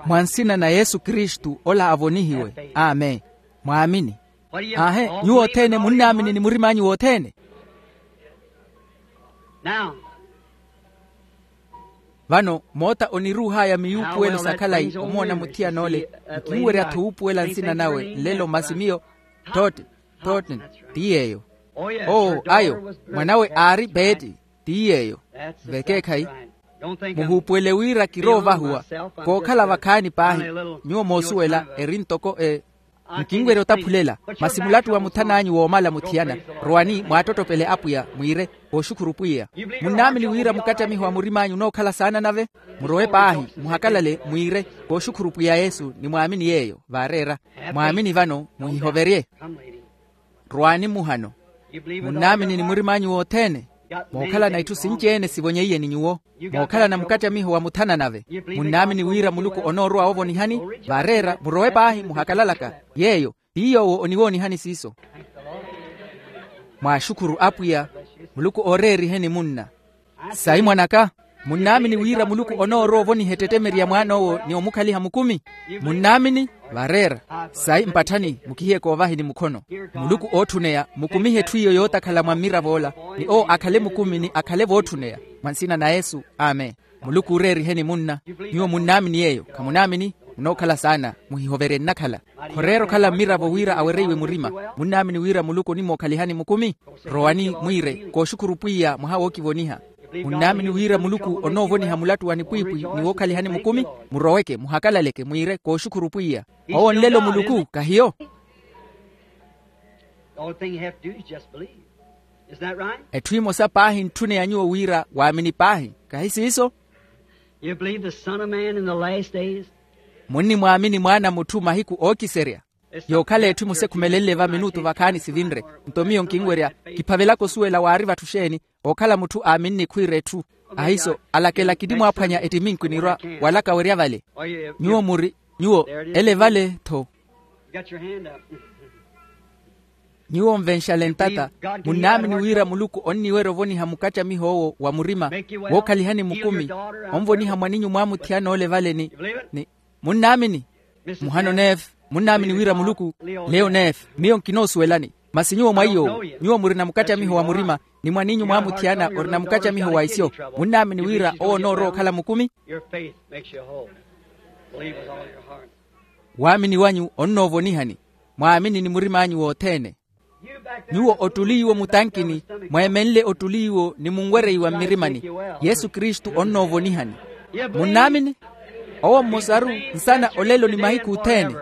Mwa nsina na yesu kristu ola avonihiwe. Amen. Mwaamini. Aahe. Nyuwo othene munnaamini ni murim'anyu wothene? Vano moota oniruuhaya miyuupuwelo sa khalayi omoona muthiyan'ole. Nkinwerya-tho wuupuwela nsina nawe nlelo masi miyo. Totten. Totten. Ti yeeyo. Oo ayo. Mwanawe aari beeti. Ti yeeyo. Vekeekhayi. Muhuupuwele wira kiroovahuwa. Kookhala vakhaani paahi. Nyuwo moosuwela eri ntoko e nkinwerya otaphulela. Masi mulattu wa muthan'anyu woomala muthiyana. Rowani mwaattottopele apwiya mwiire, kooxukhuru pwiya. Munnaamini wira mukattamiho wa murim'anyu onookhala saana nave? Murowe paahi, muhakalale mwiire, kooxukhuru pwiya yesu ni mwaamini yeeyo. Vaareera. Mwaamini vano muhihoverye. Rwaani mmuhano. Munnaamini ni murim'anyu wothene? Mookhalana itthu sinci-ene sivonyeiye ni nyuwo. Mookhalana mukattamiho wa muthana nave. Munnaamini wira muluku onoorowa woovonihani? Vaareera murowe paahi muhakalalaka. Yeeyo ti yoowo oniwoonihani siiso. Mwaaxukhuru apwiya. Muluku ooreeriheni munna. Sayi mwan'aka. Munnaamini wira muluku onoorowa ovoniha ettettemeri ya mwaan'owo ni omukhaliha mukumi? Munnaamini? Vaareera. Sayi mpatthani mukihiye koovahini mukhono. Muluku ootthuneya mukumihe etthu iyo yootakhala mwa mmirav'ola, ni owo akhale mukumi ni akhale vootthuneya. Mwa nsina na yesu. Amen. Muluku ooreeriheni munna. Nyuwo munnaamini yeeyo khamunaamini? Munookhala saana. Muhihoverye nnakhala. Khoreera okhala mmiravo wira awereiwe murima. Munnaamini wira muluku onimookhalihani mukumi? Rowani mwiire, kooxukhuru pwiya mwaha wookivoniha. Munnaamini wira muluku onoovoniha mulatu wa nipwiipwi ni wookhalihani mukumi? Muroweke muhakalaleke mwiire kooxukhuru pwiya. Owo nlelo muluku kahiyo? The only thing you have to do is just believe. Isn't that right? Etthu emosa paahi ntthuneya nyuwo wira waamini paahi, kahi siiso? You believe the Son of Man in the last days? Munnimwaamini mwaana a mutthu mahiku ookiserya? Yookhala etthu emosa ekhumelenle va minutu vakhaani sivinre. Nto miyo nkinwerya, kiphavelaka osuwela waari vatthu xeeni, ookhala mutthu aamini nikhwiira etthu. Ahiiso, alakela kinimwaaphwanya ettiminkwi nirwa walaka werya vale. Nyuwo muri, nyuwo ele vale tho. Nyuwo nvenxale ntata. Munnaamini wira muluku onniwerya ovoniha mukattamiho owo wa murima wookhalihani mukumi, onvoniha mwaninyu mwaamuthiyana ole vale ni, ni munnaamini? Muhano neefe. Munnaamini wira muluku? Leyo neefe miyo nkinoosuwelani. Masi nyuwo mwa iy'owo nyuwo murina mukattamiho wa murima, ni mwaninyu mwaamuthiyana orina mukattamiho wa isyo. Munnaamini wira owo onoorowa okhala mukumi? Your faith makes you whole. Believe with all your heart. Waamini wanyu onnoovonihani. Mwaamini ni murim'anyu wothene. Nyuwo ottuliiwo mutankini, mweemenle ottuliiwo ni munwereiwa mmirimani. Yesu kristu onnoovonihani. Munnaamini? Owo mmosaru nsana olelo ni mahiku othene.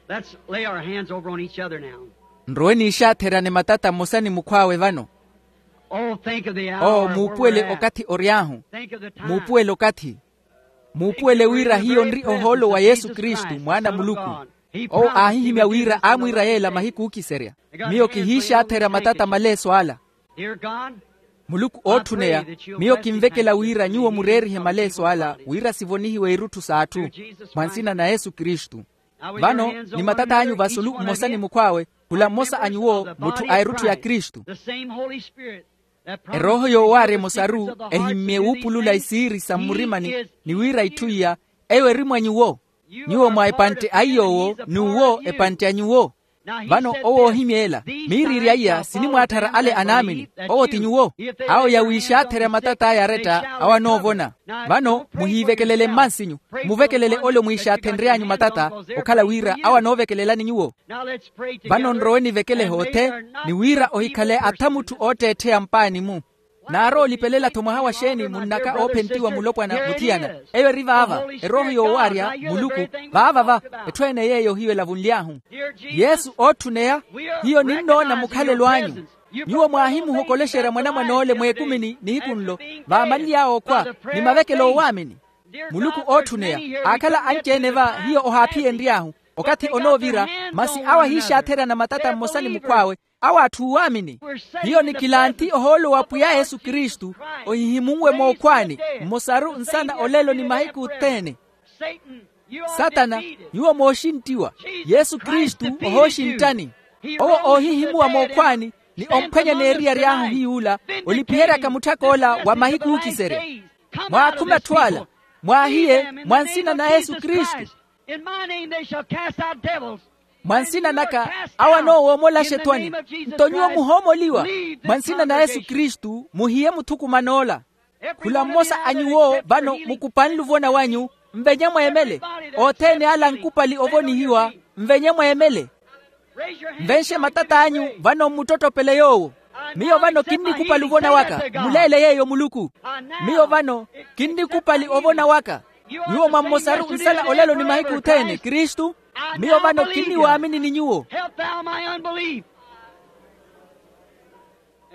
Let's lay our hands over on each other now. Nrowe niixaatherane matata mmosa ni mukhw'awe vano. Oh, think of the hour. Oo muupuwele okathi ory'ahu. Think of the time. Muupuwele okathi. Muupuwele wira hiyo nri ohoolo wa yesu kristu mwaana a muluku. Owo aahihimya wira aamwiira yeela mahiku ookiserya. Miyo kihiixaatherya matata maleeso ala. Muluku ootthuneya, miyo kinvekela wira nyuwo mureerihe maleeso ala wira sivonihiwe irutthu s'atthu, mwa nsina na yesu kristu. Vano ni matat'anyu vasulu mmosa ni mukhw'awe, khula mmosa a nyuwo mutthu a erutthu ya kristu. Erooho yoowaarya emosaru ehimmye wuupulula isiiri sa mmurimani, ni wira itthu iya eyo eri mwa nyuwo. Nyuwo mwa epantte a iy'owo n'uwo epantte a nyuwo. Vano owo oohimya ela, miiriirya iya sinimwaatthara ale anaamini. Owo ti nyuwo. Awo yawiixaatherya matat'aya aretta awo anoovona. Vano muhiivekelele mmansinyu, muvekelele ole mwiixaathenry'anyu matata, okhala wira awo anoovekelelani nyuwo. Vano nrowe nivekele hoothe, ni wira ohikhale athamutthu ootteettheya mpaani-mu. Naari olipelela-tho mwaha wa xeeni munnaka oophentiwa mulopwana muthiyana. Eyo eri vaava, erooho yoowaarya muluku. Vaava va, etthu ene yeeyo hiyo elavunly'ahu. Yesu ootthuneya. Hiyo ninnoona mukhalelo anyu. Nyuwo mwaahimuhokolexerya mwanamwan'ole mweekumini nihiku nlo, vaamanly'awe okhwa, ni mavekelo oowaamini. Muluku ootthuneya, aakhala anci-ene va hiyo ohaaphiyenry'ahu, okathi onoovira, masi awo ahiixaatherya na matata mmosa ni mukhw'awe, awo atthu oowaamini. Hiyo nikilanthi ohoolo wa pwiya yesu kristu, ohihimunwe mookhwaani, mmosaru nsana olelo ni mahiku othene. Satana, nyuwo mooxinttiwa. Yesu kristu ohooxinttani. Owo oohihimuwa mookhwaani, ni omphwanya n'eriya ry'ahu hiy'ula, olipiheryaka mutthak'ola wa mahiku ookiserya. Mwaakhume atthu ala, mwaahiye mwa nsina na yesu kristu. Mwa nsina naka, awo anoowoomola axetwani. Nto nyuwo muhoomoliwa. Mwa nsina na yesu kristu muhiye muthukuman'ola. Khula mmosa a nyuwo vano mukupanle ovona wanyu, nvenye mweemele. Othene ala ankupali ovonihiwa, nvenye mweemele. Nvenxe matat'anyu vano mmuttottopele yoowo. Miyo vano kinnikupali ovona waka. Mmuleele yeeyo muluku. Miyo vano kinnikupali ovona waka. Nyuwo mwa mmosaru nsala olelo ni mahiku othene kristu. Miyo vano kinniwaamini ni nyuwo.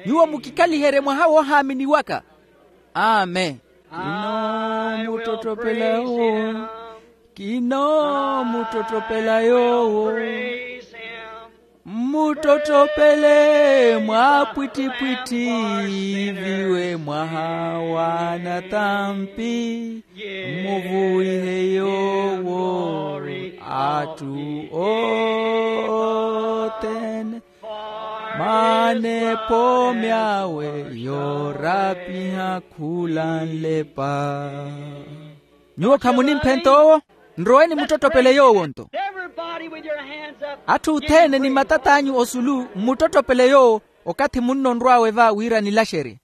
Nyuwo mukikhaliherye mwaha woohaamini waka. Amen. Kinoomuttottopela yoowo. Kinoomuttottopela yoowo. Mmuttottopele mwaapwittipwitthi viwe mwaha wa natampi. Mmuvuwihe yoowo atthu othene. Maana epoomi awe yoorapiha khula nlepa. Nyuwo khamunimphenta owo. Nroweni muttottopele yoowo nto. Atthu othene ni matat'anyu osulu mmuttottopele yoowo. Okathi munno onrw'awe va wira nilaxerye.